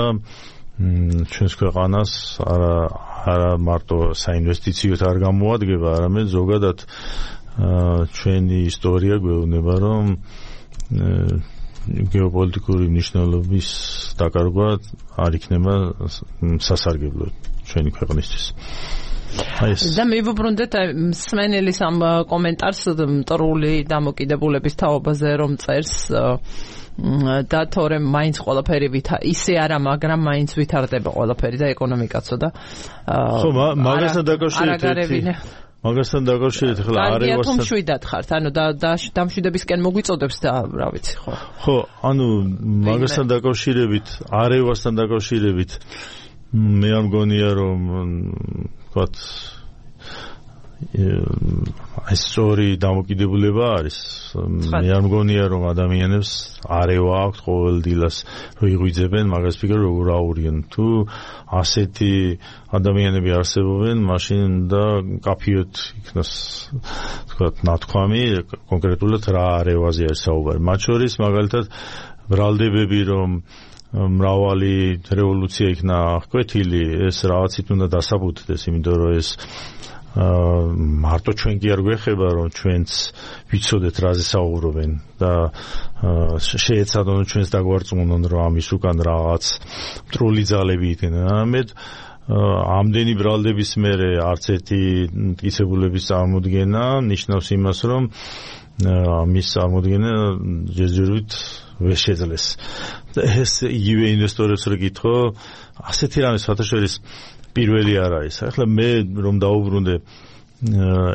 ჩვენს ქვეყანას არა მარტო საინვესტიციოდ არ გამოადგება, არამედ ზოგადად ჩვენი ისტორია გვეუბნება რომ გეოპოლიტიკური მნიშვნელობის დაკარგვა არ იქნება სასარგებლო ჩვენი ქვეყნისთვის. და მივუბრუნდეთ მსმენელის ამ კომენტარს მტრული დამოკიდებულების თაობაზე რომ წერს და თორემ მაინც ყველაფერი ისე არა, მაგრამ მაინც ვითარდება ყველაფერი და ეკონომიკაცო და ხო, მაგასთან დაკავშირებით ახლა არევასთან მშვიდად ხართ, ანუ დამშვიდებისკენ მოგვიწოდებს და რა ვიცი, ხო. ხო, ანუ მაგასთან დაკავშირებით, არევასთან დაკავშირებით მე არ მგონია რომ ვთქვათ ეს სწორი დამოკიდებულება არის. მე არ მგონია რომ ადამიანებს არევა აქვს ყოველ დილას რომ იღვიძებენ მაგას ფიქრობენ როგორ აურიან. თუ ასეთი ადამიანები არსებობენ, მაშინ და კაფიოთ იქნას ვთქვათ ნათქვამი კონკრეტულად რა არევაზე არის საუბარი. მათ შორის მაგალითად ბრალდებები რომ მრავალი რევოლუცია იქნა ყვეთილი, ეს რაღაცით უნდა დასაბუთდეს, იმიტომ რომ ეს მარტო ჩვენ კი არ გვეხება რომ ჩვენც ვიცოდეთ რაზე საუბრობენ და შეეცადონ ჩვენს დაგვარწმუნონ რომ ამის უკან რაღაც მტრული ძალები იქნება. ამედ ამდენი ბრალდების მერე არც ერთი მტკიცებულების წარმოდგენა ნიშნავს იმას რომ ამის წარმოდგენა ჯერჯერობით ვერ შეძლეს. ეს იგივე ინვესტორებს რო გითხო, ასეთი რამე საერთაშორის პირველი არ არის. ახლა მე რომ დაუბრუნდე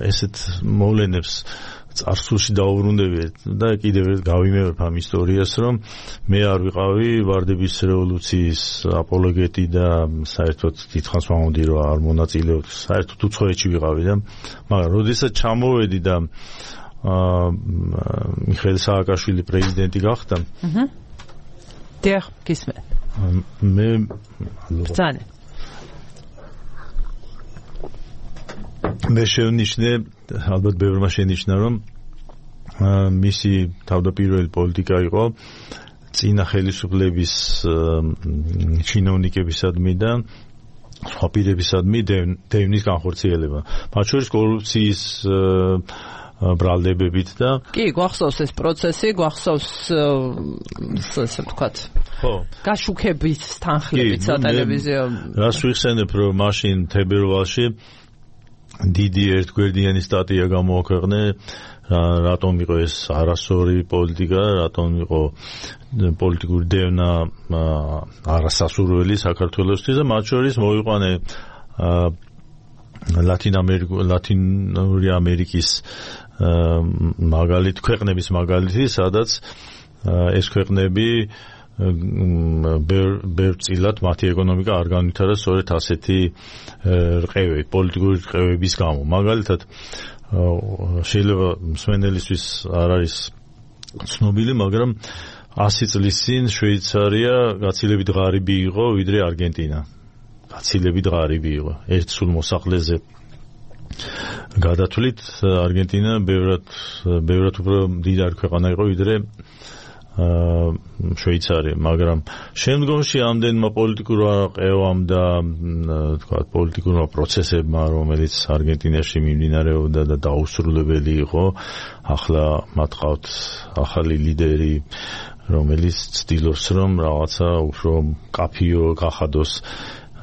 ესეთ მოვლენებს წარსულში დაუბრუნდები და კიდევ გავიმეორებ ამ ისტორიას, რომ მე არ ვიყავი ვარდების რევოლუციის აპოლოგეტი და საერთოდ დიდხანს ვამბობდი რომ არ მონაწილეობდი, საერთოდ უცხოეთში ვიყავი და მაგრამ როდესაც ჩამოვედი და მიხეილ სააკაშვილი პრეზიდენტი გახდა. დიახ, გისმენ. მე ბრძანე. მე შევნიშნე, ალბათ ბევრმა შენიშნა, რომ მისი თავდაპირველი პოლიტიკა იყო წინა ხელისუფლების ჩინოვნიკებისადმი და სხვა პირებისადმი დევნის განხორციელება. მათ შორის კორუფციის ბრალდებებით და კი, გვახსოვს ეს პროცესი, გვახსოვს ესე ვთქვათ. ხო. გაშუქების თანხლებით სატელევიზიო. რას ვიხსენებ, რომ მაშინ თებერვალში დიდი ერთგვერდიანი სტატია გამოაქვეყნე, რატომ იყო ეს არასწორი პოლიტიკა, რატომ იყო პოლიტიკური დევნა არასასურველი საქართველოსთვის და მათ შორის მოიყვანე ლათინური ამერიკის ქვეყნების მაგალითი, სადაც ეს ქვეყნები ბევრწილად მათი ეკონომიკა არ განვითარა სწორედ ასეთი რყევებით, პოლიტიკური რყევების გამო. მაგალითად, შეიძლება მსმენელისთვის არ არის ცნობილი, მაგრამ 100 წლის წინ შვეიცარია გაცილებით ღარიბი იყო ვიდრე არგენტინა. გაცილებით ღარიბი იყო. ერთ სულ მოსახლეზე გადათვლით არგენტინა ბევრად უფრო მდიდარი ქვეყანა იყო ვიდრე შვეიცარია, მაგრამ შემდგომში ამდენმა პოლიტიკურმა ყევამ და თქვათ პოლიტიკურმა პროცესებმა, რომელიც არგენტინაში მიმდინარეობდა და დაუსრულებელი იყო, ახლა მათ ყავთ ახალი ლიდერი, რომელიც ცდილობს რომ რაღაცა უფრო კაფიო გახადოს,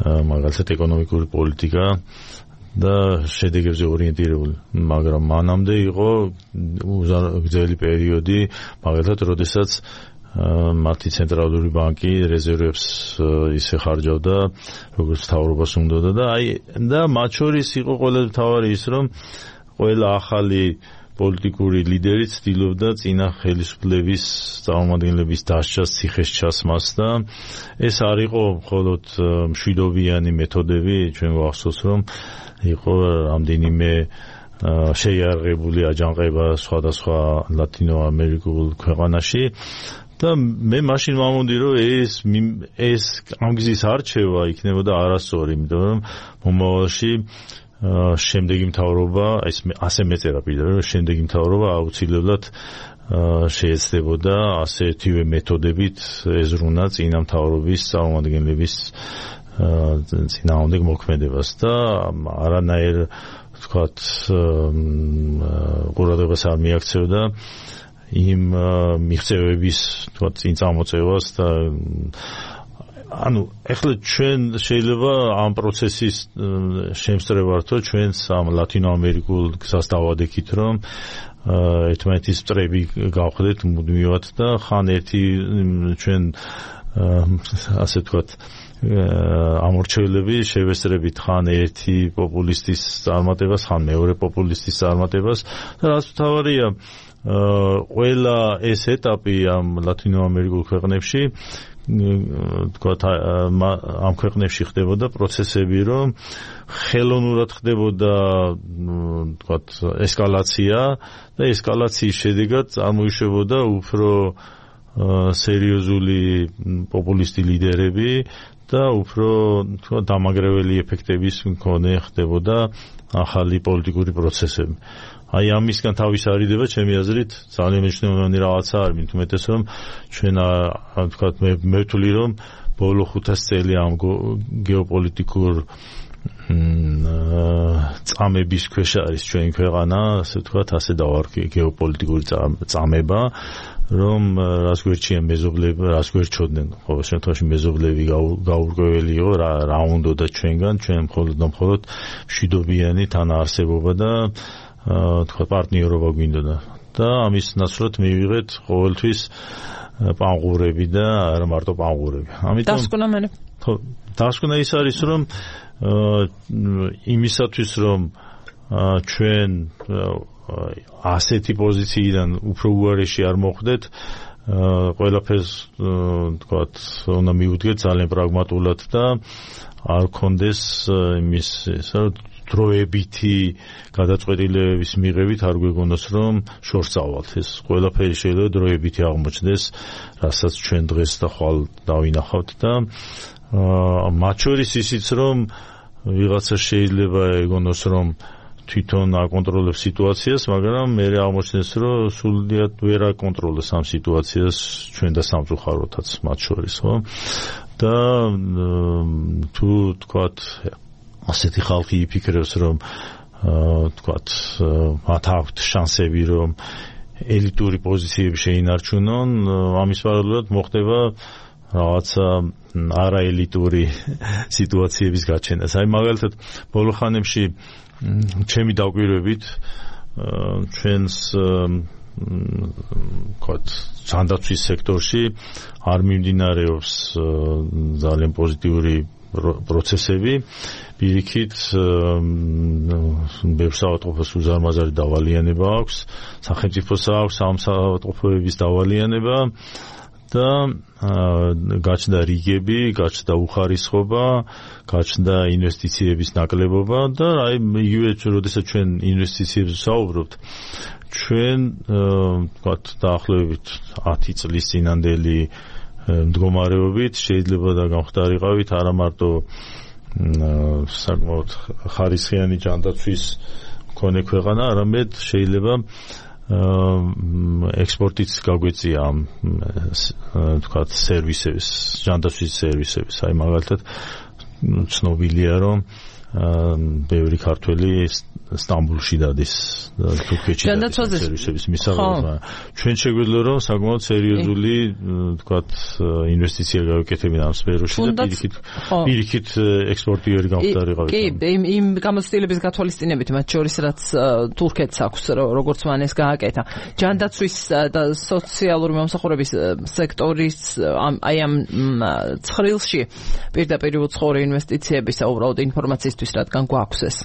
მაგალითად ეკონომიკური პოლიტიკა და შედეგებზე ორიენტირებული, მაგრამ მანამდე იყო გრძელი პერიოდი, მაგალითად, როდესაც მათი ცენტრალური ბანკი რეზერვებს ისე ხარჯავდა, როგორც მთავრობას უნდოდა და მათ შორის იყო ყველა მთავარი ის, რომ ყველა ახალი პოლიტიკური ლიდერი ცდილობდა წინა ხელისუფლების წარმომადგენლების დასჯას, ციხეს ჩასმას და ეს არ იყო მხოლოდ მშვიდობიანი მეთოდები, ჩვენ გვახსოვს, რომ იყო რამდენიმე შეიარაღებული აჯანყება სხვადასხვა ლათინო-ამერიკულ ქვეყანაში და მე მაშინ ვამონდი, რომ ეს ამ გზის არჩევა იქნებოდა არასწორი, იმიტომ რომ მომავალში შემდეგი მთავრობა, ასე მეწერა პირდაპირ, რომ შემდეგი მთავრობა აუცილებლად შეეცდებოდა ასეთივე მეთოდებით ეზრუნა წინა მთავრობის წარმომადგენლების წინააღმდეგ მოქმედებას და არანაირ ვთქვათ ყურადღებას არ მიაქცევდა იმ მიღწევების ვთქვათ წინ წამოწევას და ანუ ეხლა ჩვენ შეიძლება ამ პროცესის შემსწრებართო ჩვენს ამ ლათინო-ამერიკულ გზას დავადექით, რომ ერთმანეთის მტრები გავხდეთ მუდმივად და ხან ერთი ჩვენ ასე ვთქვათ ამორჩევლები შევესწრებით ხან ერთი პოპულისტის წარმატებას, ხან მეორე პოპულისტის წარმატებას და რაც მთავარია ყველა ეს ეტაპი ამ ლათინო-ამერიკულ ქვეყნებში თქვათ ამ ქვეყნებში ხდებოდა პროცესები, რომ ხელოვნურად ხდებოდა თქვათ ესკალაცია და ესკალაციის შედეგად წარმოიშვებოდა უფრო სერიოზული პოპულისტი ლიდერები და უფრო თქვათ დამაგრეველი ეფექტების მქონე ხდებოდა ახალი პოლიტიკური პროცესები. აი ამისგან თავის არიდება ჩემი აზრით ძალიან მნიშვნელოვანი რაღაცა არის, მით უმეტეს რომ ჩვენ თქვათ მე ვთვლი რომ ბოლო 500 წელი ამ გეოპოლიტიკურ წამების ქვეშ არის ჩვენი ქვეყანა, ასე ვთქვათ, ასე დავარქვი გეოპოლიტიკური წამება, რომ რას გვერდჩიან მეზობლები, რას გვერდჩოდნენ, ყოველ შემთხვევაში მეზობლები გაურკვეველი იყო რა უნდოდა ჩვენგან, ჩვენ მხოლოდ მშვიდობიანი თანაარსებობა და თქვა პარტნიორობა გვინდოდა და ამის ნაცვლად მივიღეთ ყოველთვის პანღურები და არა მარტო პანღურები. ამიტომ დასკვნა ის არის, რომ იმისათვის რომ ჩვენ ასეთი პოზიციიდან უფრო უარეში არ მოხვდეთ, ყველაფერს თქვათ უნდა მივუდგეთ ძალიან პრაგმატულად და არ გქონდეს იმის დროებითი გადაწყვეტილებების მიღებით არ გვეგონოს რომ შორს წავალთ. ეს ყველაფერი შეიძლება დროებითი აღმოჩნდეს, რასაც ჩვენ დღეს და ხვალ დავინახავთ და მათ შორის ისიც რომ ვიღაცა შეიძლება ეგონოს რომ თვითონ აკონტროლებს სიტუაციას, მაგრამ მე აღმოჩნდეს, რომ სულიად ვერ აკონტროლებს ამ სიტუაციას ჩვენ და სამწუხაროთაც მათ შორის, ხო? და თუ თქვათ ასეთი ხალხი იფიქრებს, რომ თქვათ მათ აქვთ შანსები, რომ ელიტური პოზიციები შეინარჩუნონ, ამის პარალელურად მოხდება რაღაცა არაელიტური სიტუაციების გაჩენას. აი მაგალითად, ბოლო ხანებში ჩემი დაკვირვებით ჩვენს თქვათ ჯანდაცვის სექტორში არ მიმდინარეობს ძალიან პოზიტიური პროცესები, პირიქით ბევრ საავადმყოფოს უზარმაზარი დავალიანება აქვს, სახელმწიფოს აქვს ამ საავადმყოფოების დავალიანება და გაჩნდა რიგები, გაჩნდა უხარისხობა, გაჩნდა ინვესტიციების ნაკლებობა და აი იგივე როდესაც ჩვენ ინვესტიციებზე ვსაუბრობთ, ჩვენ ვთქვათ დაახლოებით 10 წლის წინანდელი მდგომარეობით შეიძლება და გამხდარიყავით არა მარტო საკმაოდ ხარისხიანი ჯანდაცვის მქონე ქვეყანა, არამედ შეიძლება ექსპორტიც გაგვეწია ამ თქვათ სერვისების, ჯანდაცვის სერვისების. აი მაგალითად ცნობილია, რომ ბევრი ქართველი სტამბულში დადის თურქეთში დადის სერვისების მისაღებად. ჩვენ შეგვიძლია რომ საკმაოდ სერიოზული თქვათ ინვესტიცია გავაკეთებინა ამ სფეროში და პირიქით ექსპორტიორი გამხდარიყავით. კი, იმ გამოცდილების გათვალისწინებით, მათ შორის რაც თურქეთს აქვს, როგორც მანეს გააკეთა. ჯანდაცვის და სოციალური მომსახურების სექტორის აი ამ ცხრილში პირდაპირ უცხოური ინვესტიციებისა უბრალოდ ინფორმაციისთვის, რადგან გვაქვს ეს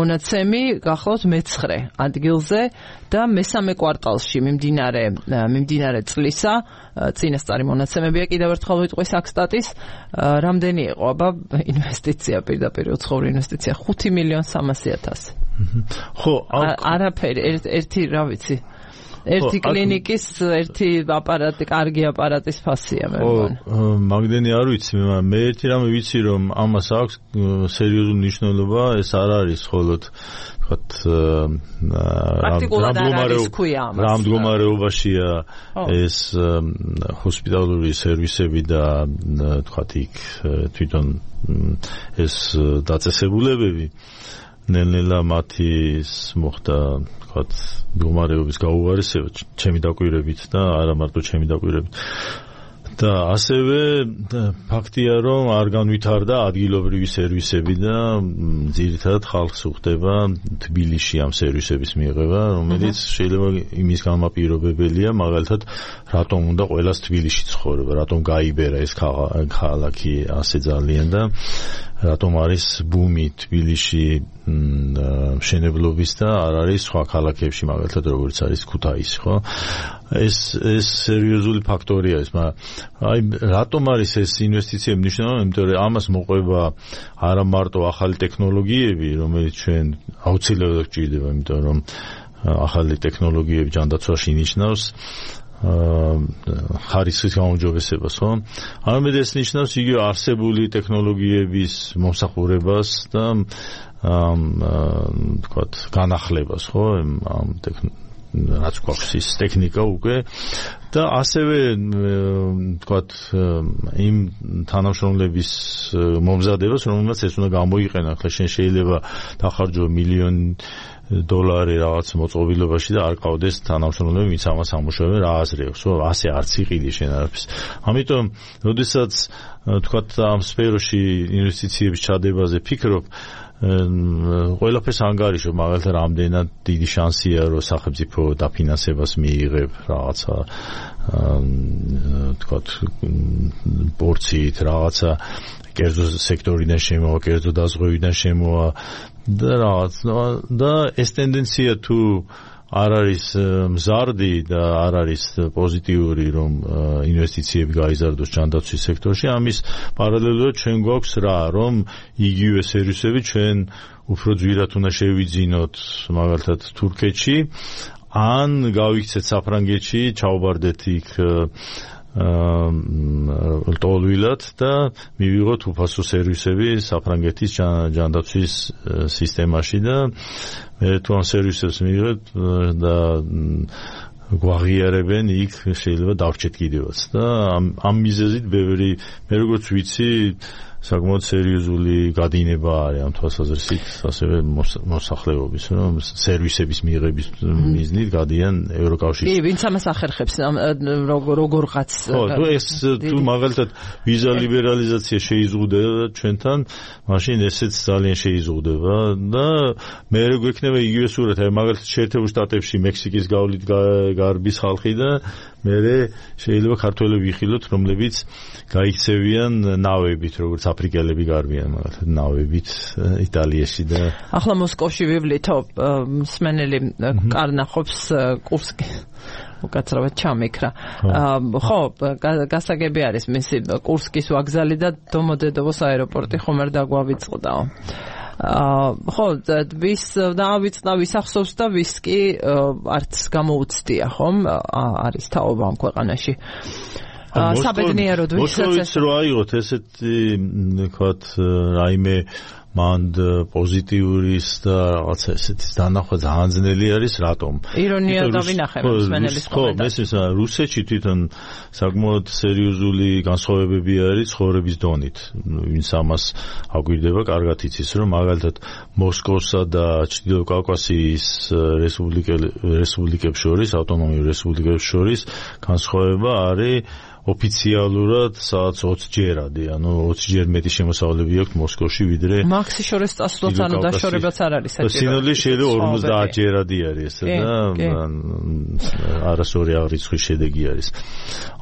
მონაცემი, გახლავთ მე-9 ადგილზე და მე-3 კვარტალში მიმდინარე წლისა წინასწარი მონაცემებია, კიდევ ერთხელ ვიტყვი საქსტატის, რამდენი იყო აბა ინვესტიცია, პირდაპირ უცხოური ინვესტიცია 5,300,000. ხო, არაფერი, ერთი რა ვიცი. ერთი კლინიკის, ერთი აპარატი, კარგი აპარატის ფასია მე მგონი. მაგდენი არ ვიცი, მე ერთი რამე ვიცი, რომ ამას აქვს სერიოზული მნიშვნელობა, ეს არ არის მხოლოდ ვთქვათ რა მდგომარეობაშია ეს ჰოსპიტალური სერვისები და ვთქვათ იქ თვითონ ეს დაწესებულებები ნელ-ნელა მათის მოხდა ვთქვათ მდგომარეობის გაუარესება ჩემი დაკვირვებით და არა მარტო ჩემი დაკვირვებით. და ასევე ფაქტია, რომ არ განვითარდა ადგილობრივი სერვისები და ძირითადად ხალხს უხდება თბილისში ამ სერვისების მიღება, რომელიც შეიძლება იმის გამაპირობებელია, მაგალითად, რატომ უნდა ყველას თბილისში ცხოვრება, რატომ გაიბერა ეს ქალაქი ასე ძალიან და რატომ არის ბუმი თბილისში მშენებლობის და არ არის სხვა ქალაქებში, მაგალითად, როგორც არის ქუთაისი, ხო? ეს სერიოზული ფაქტორია ეს, მაგრამ აი რატომ არის ეს ინვესტიციები მნიშვნელოვანი? იმიტომ რომ ამას მოყვება არა მარტო ახალი ტექნოლოგიები, რომელიც ჩვენ აუცილებლად გვჭირდება, იმიტომ რომ ახალი ტექნოლოგიები ჯანდაცვაში ნიშნავს ხარისხის გაუმჯობესებას, ხო? არამედ ეს ნიშნავს იგივე არსებული ტექნოლოგიების მომსახურებას და ვთქვათ განახლებას, ხო? ამ რაც გვაქვს ის ტექნიკა უკვე და ასევე ვთქვათ იმ თანამშრომლების მომზადებას, რომელსაც ეს უნდა გამოიყენა. ახლა შენ შეიძლება დახარჯო $1,000,000 რაღაც მოწყობილობაში და არ ყავდეს თანამშრომლები, ვინც ამას ამუშავებენ, რა აზრიებს, ხო? ასე არც იყიდი შენ არაფერს. ამიტომ, როდესაც ვთქვათ ამ სფეროში ინვესტიციების ჩადებაზე ფიქრობ, ყველაფერს ანგარიშობ, მაგალითად, რამდენად დიდი შანსია, რომ სახელმწიფო დაფინანსებას მიიღებ რაღაცა ვთქვათ პორციით, რაღაცა კერძო სექტორიდან შემოვა, კერძო დაზღვევიდან შემოვა და რაღაც და ეს ტენდენცია თუ არ არის მზარდი და არ არის პოზიტიური, რომ ინვესტიციები გაიზარდოს ჯანდაცვის სექტორში, ამის პარალელურად ჩვენ გვაქვს რა, რომ იგივე სერვისები ჩვენ უფრო ძვირად უნდა შევიძინოთ, მაგალითად თურქეთში, ან გავიქცეთ საფრანგეთში, ჩავაბარდეთ იქ ლტოლვილად და მივიღოთ უფასო სერვისები საფრანგეთის ჯანდაცვის სისტემაში და მე თუ ამ სერვისებს მივიღეთ და გვაღიარებენ იქ შეიძლება დავრჩეთ კიდევაც და ამ მიზეზით ბევრი მე როგორც ვიცი საკმაოდ სერიოზული გადინება არის ამ თვალსაზრისით ასევე მოსახლეობის რომ სერვისების მიღების მიზნით გადიან ევროკავშირში. კი, ვინც ამას ახერხებს როგორღაც ხო, ეს თუ მაგალითად ვიზა ლიბერალიზაცია შეიზღუდება ჩვენთან, მაშინ ესეც ძალიან შეიზღუდება და მე როგორ ექნება იგივე სურათი, აი მაგალითად შეერთებულ შტატებში მექსიკის გავლით გარბის ხალხი და მე შეიძლება ქართველები ვიხილოთ, რომლებიც გაიქცევიან ნავებით, როგორც აფრიკელები გარბიან მაგალითად ნავებით იტალიაში და ახლა მოსკოვში ვივლითო მსმენელი კარნახობს კურსკი უკაცრავად ჩამიქრა. ხო, გასაგები არის მისი კურსკის ვაგზალი და დომოდედოვოს აეროპორტი ხომ არ დაგვავიწყდაო. ხო, ვის დავიწყდა, ვის ახსოვს და ვის კი არც გამოუცდია, ხომ? არის თაობა ამ ქვეყანაში. საბედნიეროდ ვისაც რო აიღოთ ესეთი ვთქვათ რაიმე მანდ პოზიტიურის და რაღაცა ესეთის დანახვა ძალიან ძნელი არის რატომ? ირონია დავინახე მსმენელის კომენტარში. ხო, მე რუსეთში თვითონ საკმაოდ სერიოზული განსხვავებები არის ცხოვრების დონით. ვინც ამას აგვირდება, კარგად იცის, რომ მაგალითად მოსკოვსა და ჩრდილო კავკასიის რესპუბლიკებს შორის, ავტონომიურ რესპუბლიკებს შორის განსხვავება არის ოფიციალურად სადაც 20 ჯერადი, ანუ 20 ჯერ მეტი შემოსავლები აქვს მოსკოვში ვიდრე მაქსი შორის წასვლაც, ანუ დაშორებაც არ არის საჭირო. სინოდლე შეიძლება 50 ჯერადი არის ესე და არასორი აღრიცხვის შედეგი არის.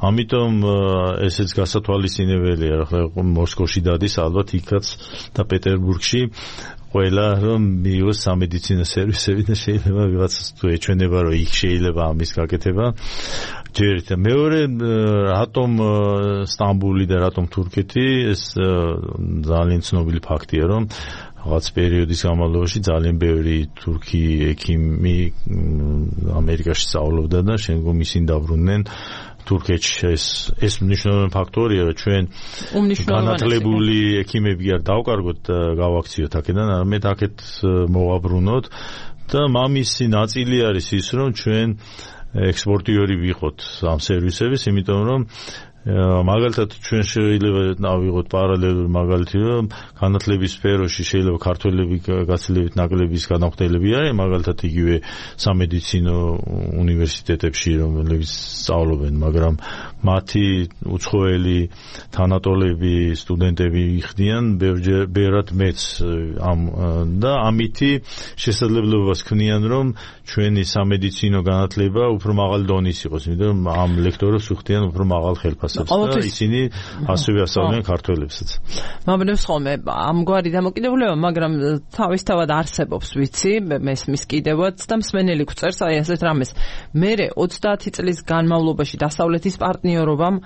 ამიტომ ესეც გასათვალისწინებელია, ახლა მოსკოვში დადის ალბათ იქაც და პეტერბურგში ყველა რომ მიიღოს სამედიცინო სერვისები და შეიძლება ვიღაცას თუ ეჩვენება რომ იქ შეიძლება ამის გაკეთება ჯერით და მეორე რატომ სტამბული და რატომ თურქეთი ეს ძალიან ცნობილი ფაქტია რომ რაღაც პერიოდის განმავლობაში ძალიან ბევრი თურქი ექიმი ამერიკაში სწავლობდა და შემდგომ ისინი დაბრუნდნენ თურქეთში ეს მნიშვნელოვანი ფაქტორია რომ ჩვენ განათლებული ექიმები არ დავკარგოთ და გავაქციოთ აქედან არამედ აქეთ მოვაბრუნოთ და მამისი ნაწილი არის ის რომ ჩვენ ექსპორტიორი ვიყოთ ამ სერვისების იმიტომ რომ მაგალითად ჩვენ შეიძლება ავიღოთ პარალელური მაგალითი რომ განათლების სფეროში შეიძლება ქართველები გაცილებით ნაკლების განახდელები არის მაგალითად იგივე სამედიცინო უნივერსიტეტებში რომლებიც სწავლობენ მაგრამ მათი უცხოელი თანატოლები სტუდენტები იხდიან ბევრად მეც და ამითი შესაძლებლობას ქმნიან რომ ჩვენი სამედიცინო განათლება უფრო მაღალი დონის იყოს იმიტომ რომ ამ ლექტორებს უხდიან უფრო მაღალ ხელფასს და ისინი ასევე ასწავლიან ქართველებსაც. მომდენს ხოლმე ამგვარი დამოკიდებულება, მაგრამ თავისთავად არსებობს, ვიცი, მესმის კიდევაც და მსმენელი გვწერს აი ასეთ რამეს. მერე 30 წლის განმავლობაში დასავლეთის პარტნიორობამ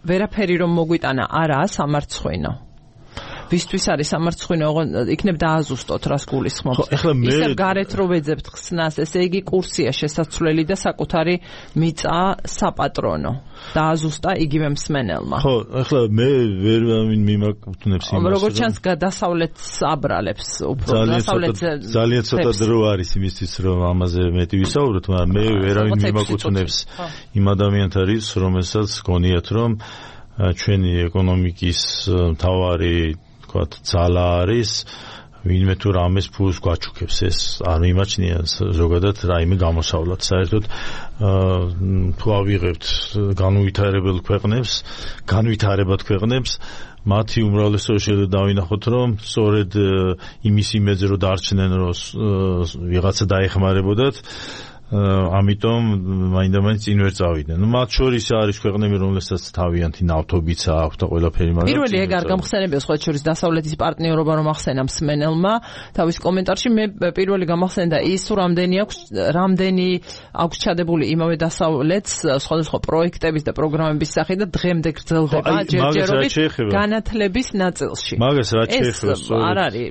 ვერაფერი რომ მოგვიტანა არაა სამარცხვინო. ვისთვის არის სამარცხვინო, იქნებ დააზუსტოთ რას გულისხმობთ. ისევ გარეთ რო ვეძებთ ხსნას, ესე იგი კურსია შესაძლებელი და საკუთარი მიწა საპატრონო. დააზუსტა იგივე მსმენელმა. ხო, ახლა მე ვერ მიმაკუთვნებს იმას. როგორც ჩანს დასავლეთს აბრალებს უფრო დასავლეთზე ძალიან ცოტა დრო არის იმისთვის რომ ამაზე მეტი ვისაუბროთ, მაგრამ მე ვერავინ მიმაკუთვნებს იმ ადამიანთა რიცხვს, რომელსაც გონიათ რომ ჩვენი ეკონომიკის მთავარი ძალა არის ვინმე თუ რამეს ფულს გვაჩუქებს ეს არ მიმაჩნია ზოგადად რაიმე გამოსავლად საერთოდ თუ ავიღებთ განვითარებად ქვეყნებს მათი უმრავლესობა შეიძლება დავინახოთ რომ სწორედ იმის იმედზე რომ დარჩნენ რომ ვიღაცა დაეხმარებოდათ ამიტომ მაინდა-მაინც წინ ვერ წავიდნენ. ნუ მათ შორის არის ქვეყნები, რომლებსაც თავიანთი ნავთობიც აქვს და ყველაფერი, მაგრამ პირველი ეგ არ გამხსენებია სხვა შორის დასავლეთის პარტნიორობა რომ ახსენა მსმენელმა თავის კომენტარში მე პირველი გამახსენდა ის რამდენი აქვს ჩადებული იმავე დასავლეთს სხვადასხვა პროექტების და პროგრამების სახით და დღემდე გრძელდება ჯერჯერობით განათლების ნაწილში. მაგას რა შეეხება? არ არის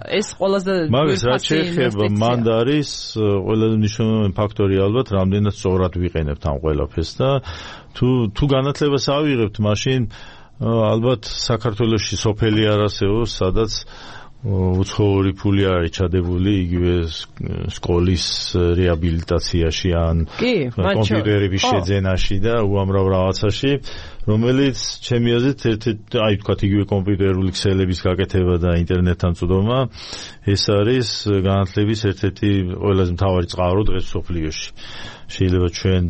ეს ყველაზე მაგას რა შეეხება? მანდ არის ყველაზე მნიშვნელოვანი ფაქტორი ალბათ რამდენად სწორად ვიყენებთ ამ ყველაფერს და თუ განათლებას ავიღებთ, მაშინ ალბათ საქართველოში სოფელი არ არსებობს, სადაც უცხოური ფული არის ჩადებული იგივე სკოლის რეაბილიტაციაში ან კომპიუტერების შეძენაში და უამრავ რაღაცაში, რომელიც ჩემი აზრით აი თქვათ იგივე კომპიუტერული ქსელების გაკეთება და ინტერნეტთან წვდომა, ეს არის განათლების ერთ-ერთი ყველაზე მთავარი წყარო დღეს სოფლიოში. შეიძლება ჩვენ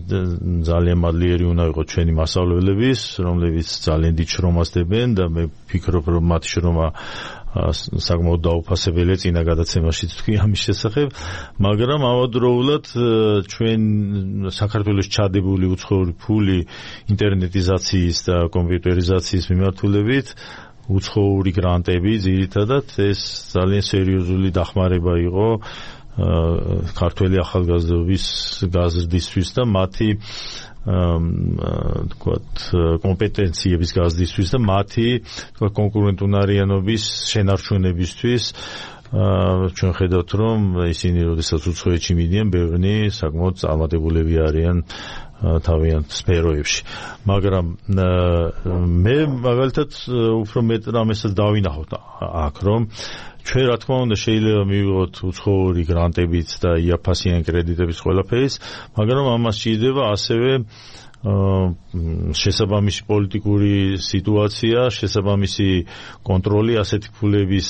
ძალიან მადლიერი უნდა ვიყოთ ჩვენი მასწავლებლების, რომლებიც ძალიან დიდ შრომას დებენ და მე ვფიქრობ, რომ მათი შრომა საკმაოდ დაუფასებელია წინა გადაცემაშიც თქვი ამის შესახებ, მაგრამ ამავდროულად ჩვენ საქართველოს ჩადებული უცხოური ფული ინტერნეტიზაციის და კომპიუტერიზაციის მიმართულებით უცხოური გრანტები ძირითადად ეს ძალიან სერიოზული დახმარება იყო ქართველი ახალგაზრდობის გაზრდისთვის და მათი თქვათ კომპეტენციების გაზრდისთვის და მათი თქვათ კონკურენტუნარიანობის შენარჩუნებისთვის ჩვენ ხედავთ რომ ისინი როდესაც უცხოეთში მიდიან ბევრი საკმაოდ წარმატებულები არიან თავიანთ სფეროებში, მაგრამ მე მაგალითად უფრო მეტ რამესაც დავინახოთ აქ რომ ჩვენ რა თქმა უნდა შეიძლება მივიღოთ უცხოური გრანტებიც და იაფასიანი კრედიტების ყველაფერის, მაგრამ ამას სჭირდება ასევე შესაბამისი პოლიტიკური სიტუაცია, შესაბამისი კონტროლი ასეთი ფულების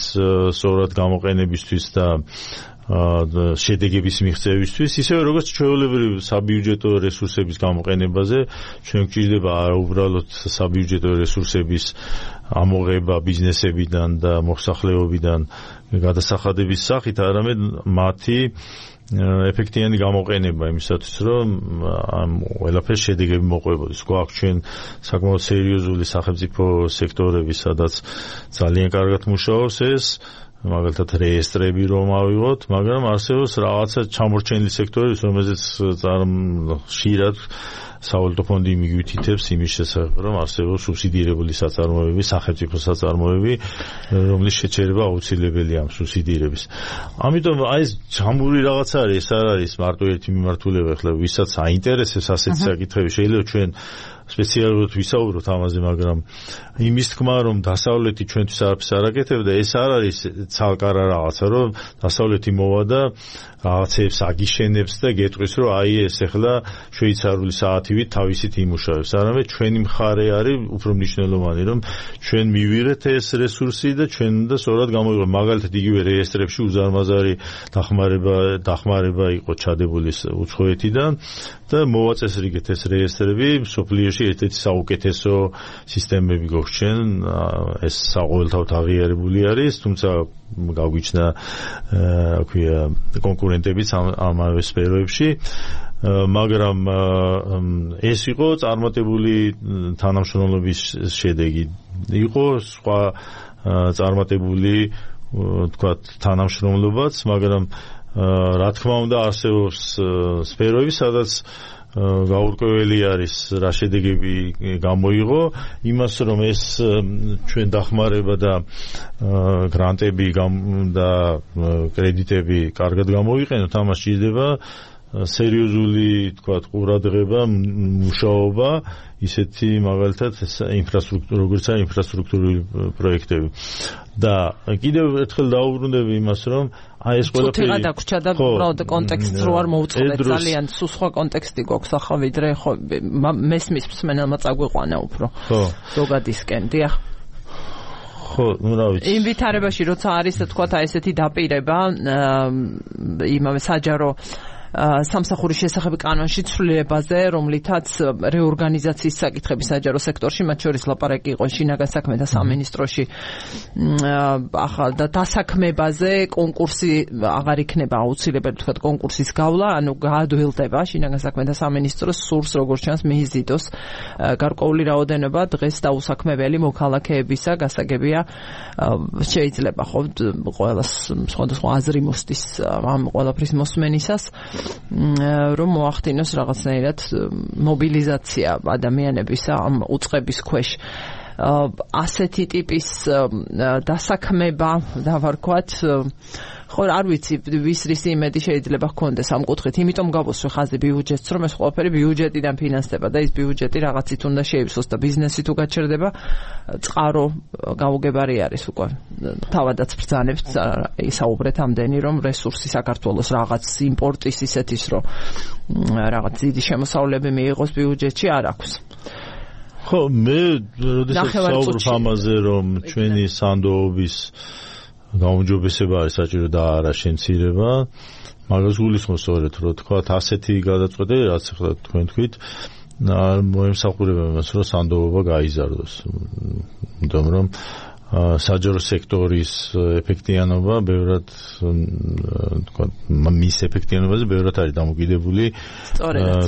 სწორად გამოყენებისთვის და შედეგების მიღწევისთვის, ისევე როგორც ჩვეულებრივ საბიუჯეტო რესურსების გამოყენებაზე, ჩვენ გვჭირდება არა უბრალოდ საბიუჯეტო რესურსების ამოღება ბიზნესებიდან და მოსახლეობიდან გადასახადების სახით, არამედ მათი ეფექტიანი გამოყენება იმისათვის, რომ ამ ყველაფერს შედეგები მოყვებოდეს. გვაქვს ჩვენ საკმაოდ სერიოზული სახელმწიფო სექტორები, სადაც ძალიან კარგად მუშაობს ეს, მაგალითად რეესტრები რომ ავიღოთ, მაგრამ არსებობს რაღაცა ჩამორჩენილი სექტორები, რომელზეც ხშირად სავალუტო ფონდი მიგვითითებს იმის შესახებ, რომ არსებობს სუბსიდირებული საწარმოები, სახელმწიფო საწარმოები, რომლის შეჩერება აუცილებელია ამ სუბსიდირების. ამიტომ აი ეს ჯამური რაღაც არის, ეს არ არის მარტო ერთი მიმართულება, ახლა ვისაც აინტერესებს ასეთი საკითხები, შეიძლება ჩვენ სპეციალურად ვისაუბროთ ამაზე, მაგრამ იმის თქმა, რომ დასავლეთი ჩვენთვის არაფერს არ აკეთებდა, ეს არ არის ცალკარა რაღაცა, რომ დასავლეთი მოვა და რაღაცებს აგიშენებს და გეტყვის, რომ აი ეს ახლა შვეიცარიული საათივით თავისით იმუშავებს. არამედ ჩვენი მხარე არის უფრო მნიშვნელოვანი, რომ ჩვენ მივიღეთ ეს რესურსი და ჩვენ უნდა სწორად გამოვიღოთ. მაგალითად იგივე რეესტრებში უზარმაზარი დახმარება იყო ჩადებული უცხოეთიდან და მოვაწესრიგეთ ეს რეესტრები სოფლიოში ერთ-ერთი საუკეთესო სისტემები გვაქვს, ეს საყოველთაოდ აღიარებული არის, თუმცა გავგვიჩნდა ქვია კონკურენტებიც ამავე სფეროებში, მაგრამ ეს იყო წარმატებული თანამშრომლობის შედეგი. იყო სხვა წარმატებული თქვათ თანამშრომლობაც, მაგრამ რა თქმა უნდა არსებობს სფეროები, სადაც გაურკვეველი არის რა შედეგები გამოიღო, იმას რომ ეს ჩვენ დახმარება და გრანტები და კრედიტები კარგად გამოვიყენოთ, ამას სჭირდება სერიოზული თქვათ ყურადღება, მუშაობა, ისეთი მაგალითად ინფრასტრუქტურა, როგორც არის ინფრასტრუქტურული პროექტები. და კიდევ ერთხელ დაუბრუნდები იმას, რომ აი ეს ყველაფერი ცოტა დაგვრჩა და უბრალოდ კონტექსტს რო არ მოვუწყდეთ, ძალიან სულ სხვა კონტექსტი გვაქვს ახლა, ვიდრე ხო მესმის მსმენელმა წაგვიყვანა უფრო ზოგადისკენ. დიახ. ხო, ну რა ვიცი. იმ ვითარებაში როცა არის თქვათ აი ესეთი დაპირება იმავე საჯარო სამსახურის შესახებ კანონში ცვლილებაზე, რომლითაც რეორგანიზაციის საკითხები საჯარო სექტორში, მათ შორის ლაპარაკი იყო შინაგან საქმეთა სამინისტროში ახალ და დასაქმებაზე, კონკურსი აღარ იქნება აუცილებელი, თქვათ კონკურსის გავლა, ანუ გაადვილდება შინაგან საქმეთა სამინისტროს სურს, როგორც ჩანს, მიიზიდოს გარკვეული რაოდენობა დღეს დაუსაქმებელი მოქალაქეებისა, გასაგებია შეიძლება ხო ყველას სხვადასხვა აზრი მოსდის ამ ყველაფრის მოსმენისას, რომ მოახდინოს რაღაცნაირად მობილიზაცია ადამიანების ამ უწყების ქვეშ. ასეთი ტიპის დასაქმება დავარქვათ ხო არ ვიცი ვის რის იმედი შეიძლება ჰქონდეს ამ კუთხით იმიტომ გავუსვე ხაზი ბიუჯეტს რომ ეს ყველაფერი ბიუჯეტიდან ფინანსდება და ის ბიუჯეტი რაღაცით უნდა შეივსოს და ბიზნესი თუ გაჩერდება წყარო გაუგებარი არის უკვე თავადაც ბრძანებს ისაუბრეთ ამდენი რომ რესურსი საქართველოს რაღაც იმპორტის ისეთის რომ რაღაც დიდი შემოსავლები მიიღოს ბიუჯეტში არ აქვს ხო მე როდესაც საუბრობ ამაზე რომ ჩვენი სანდოობის გაუმჯობესება არის საჭირო და არა შემცირება მაგას გულისხმობს სწორედ რომ თქვა ასეთი გადაწყვეტა რაც ახლა თქვენ თქვით მოემსახურება იმას რომ სანდოობა გაიზარდოს იმიტომ რომ საჯარო სექტორის ეფექტიანობა ბევრად თქვა მის ეფექტიანობაზე ბევრად არის დამოკიდებული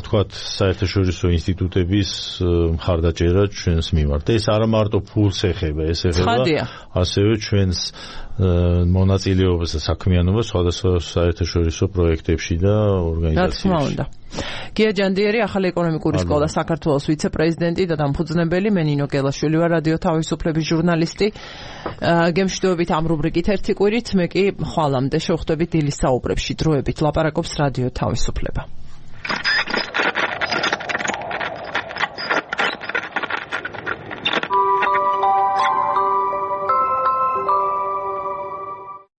თქვა საერთაშორისო ინსტიტუტების მხარდაჭერა ჩვენს მიმართ და ეს არა მარტო ფულს ეხება ეს ეხება ასევე ჩვენს მონაწილეობას და საქმიანობას სხვადასხვა საერთაშორისო პროექტებში და ორგანიზაციებში. გია ჯანდიერი, ახალი ეკონომიკური სკოლა საქართველოს ვიცე-პრეზიდენტი და დამფუძნებელი, მე ნინო გელაშვილი ვარ, რადიო თავისუფლების ჟურნალისტი. გემშვიდობებით ამ რუბრიკით ერთი კვირით, მე კი ხვალამდე შევხვდებით დილის საუბრებში დროებით ლაპარაკობს რადიო თავისუფლება.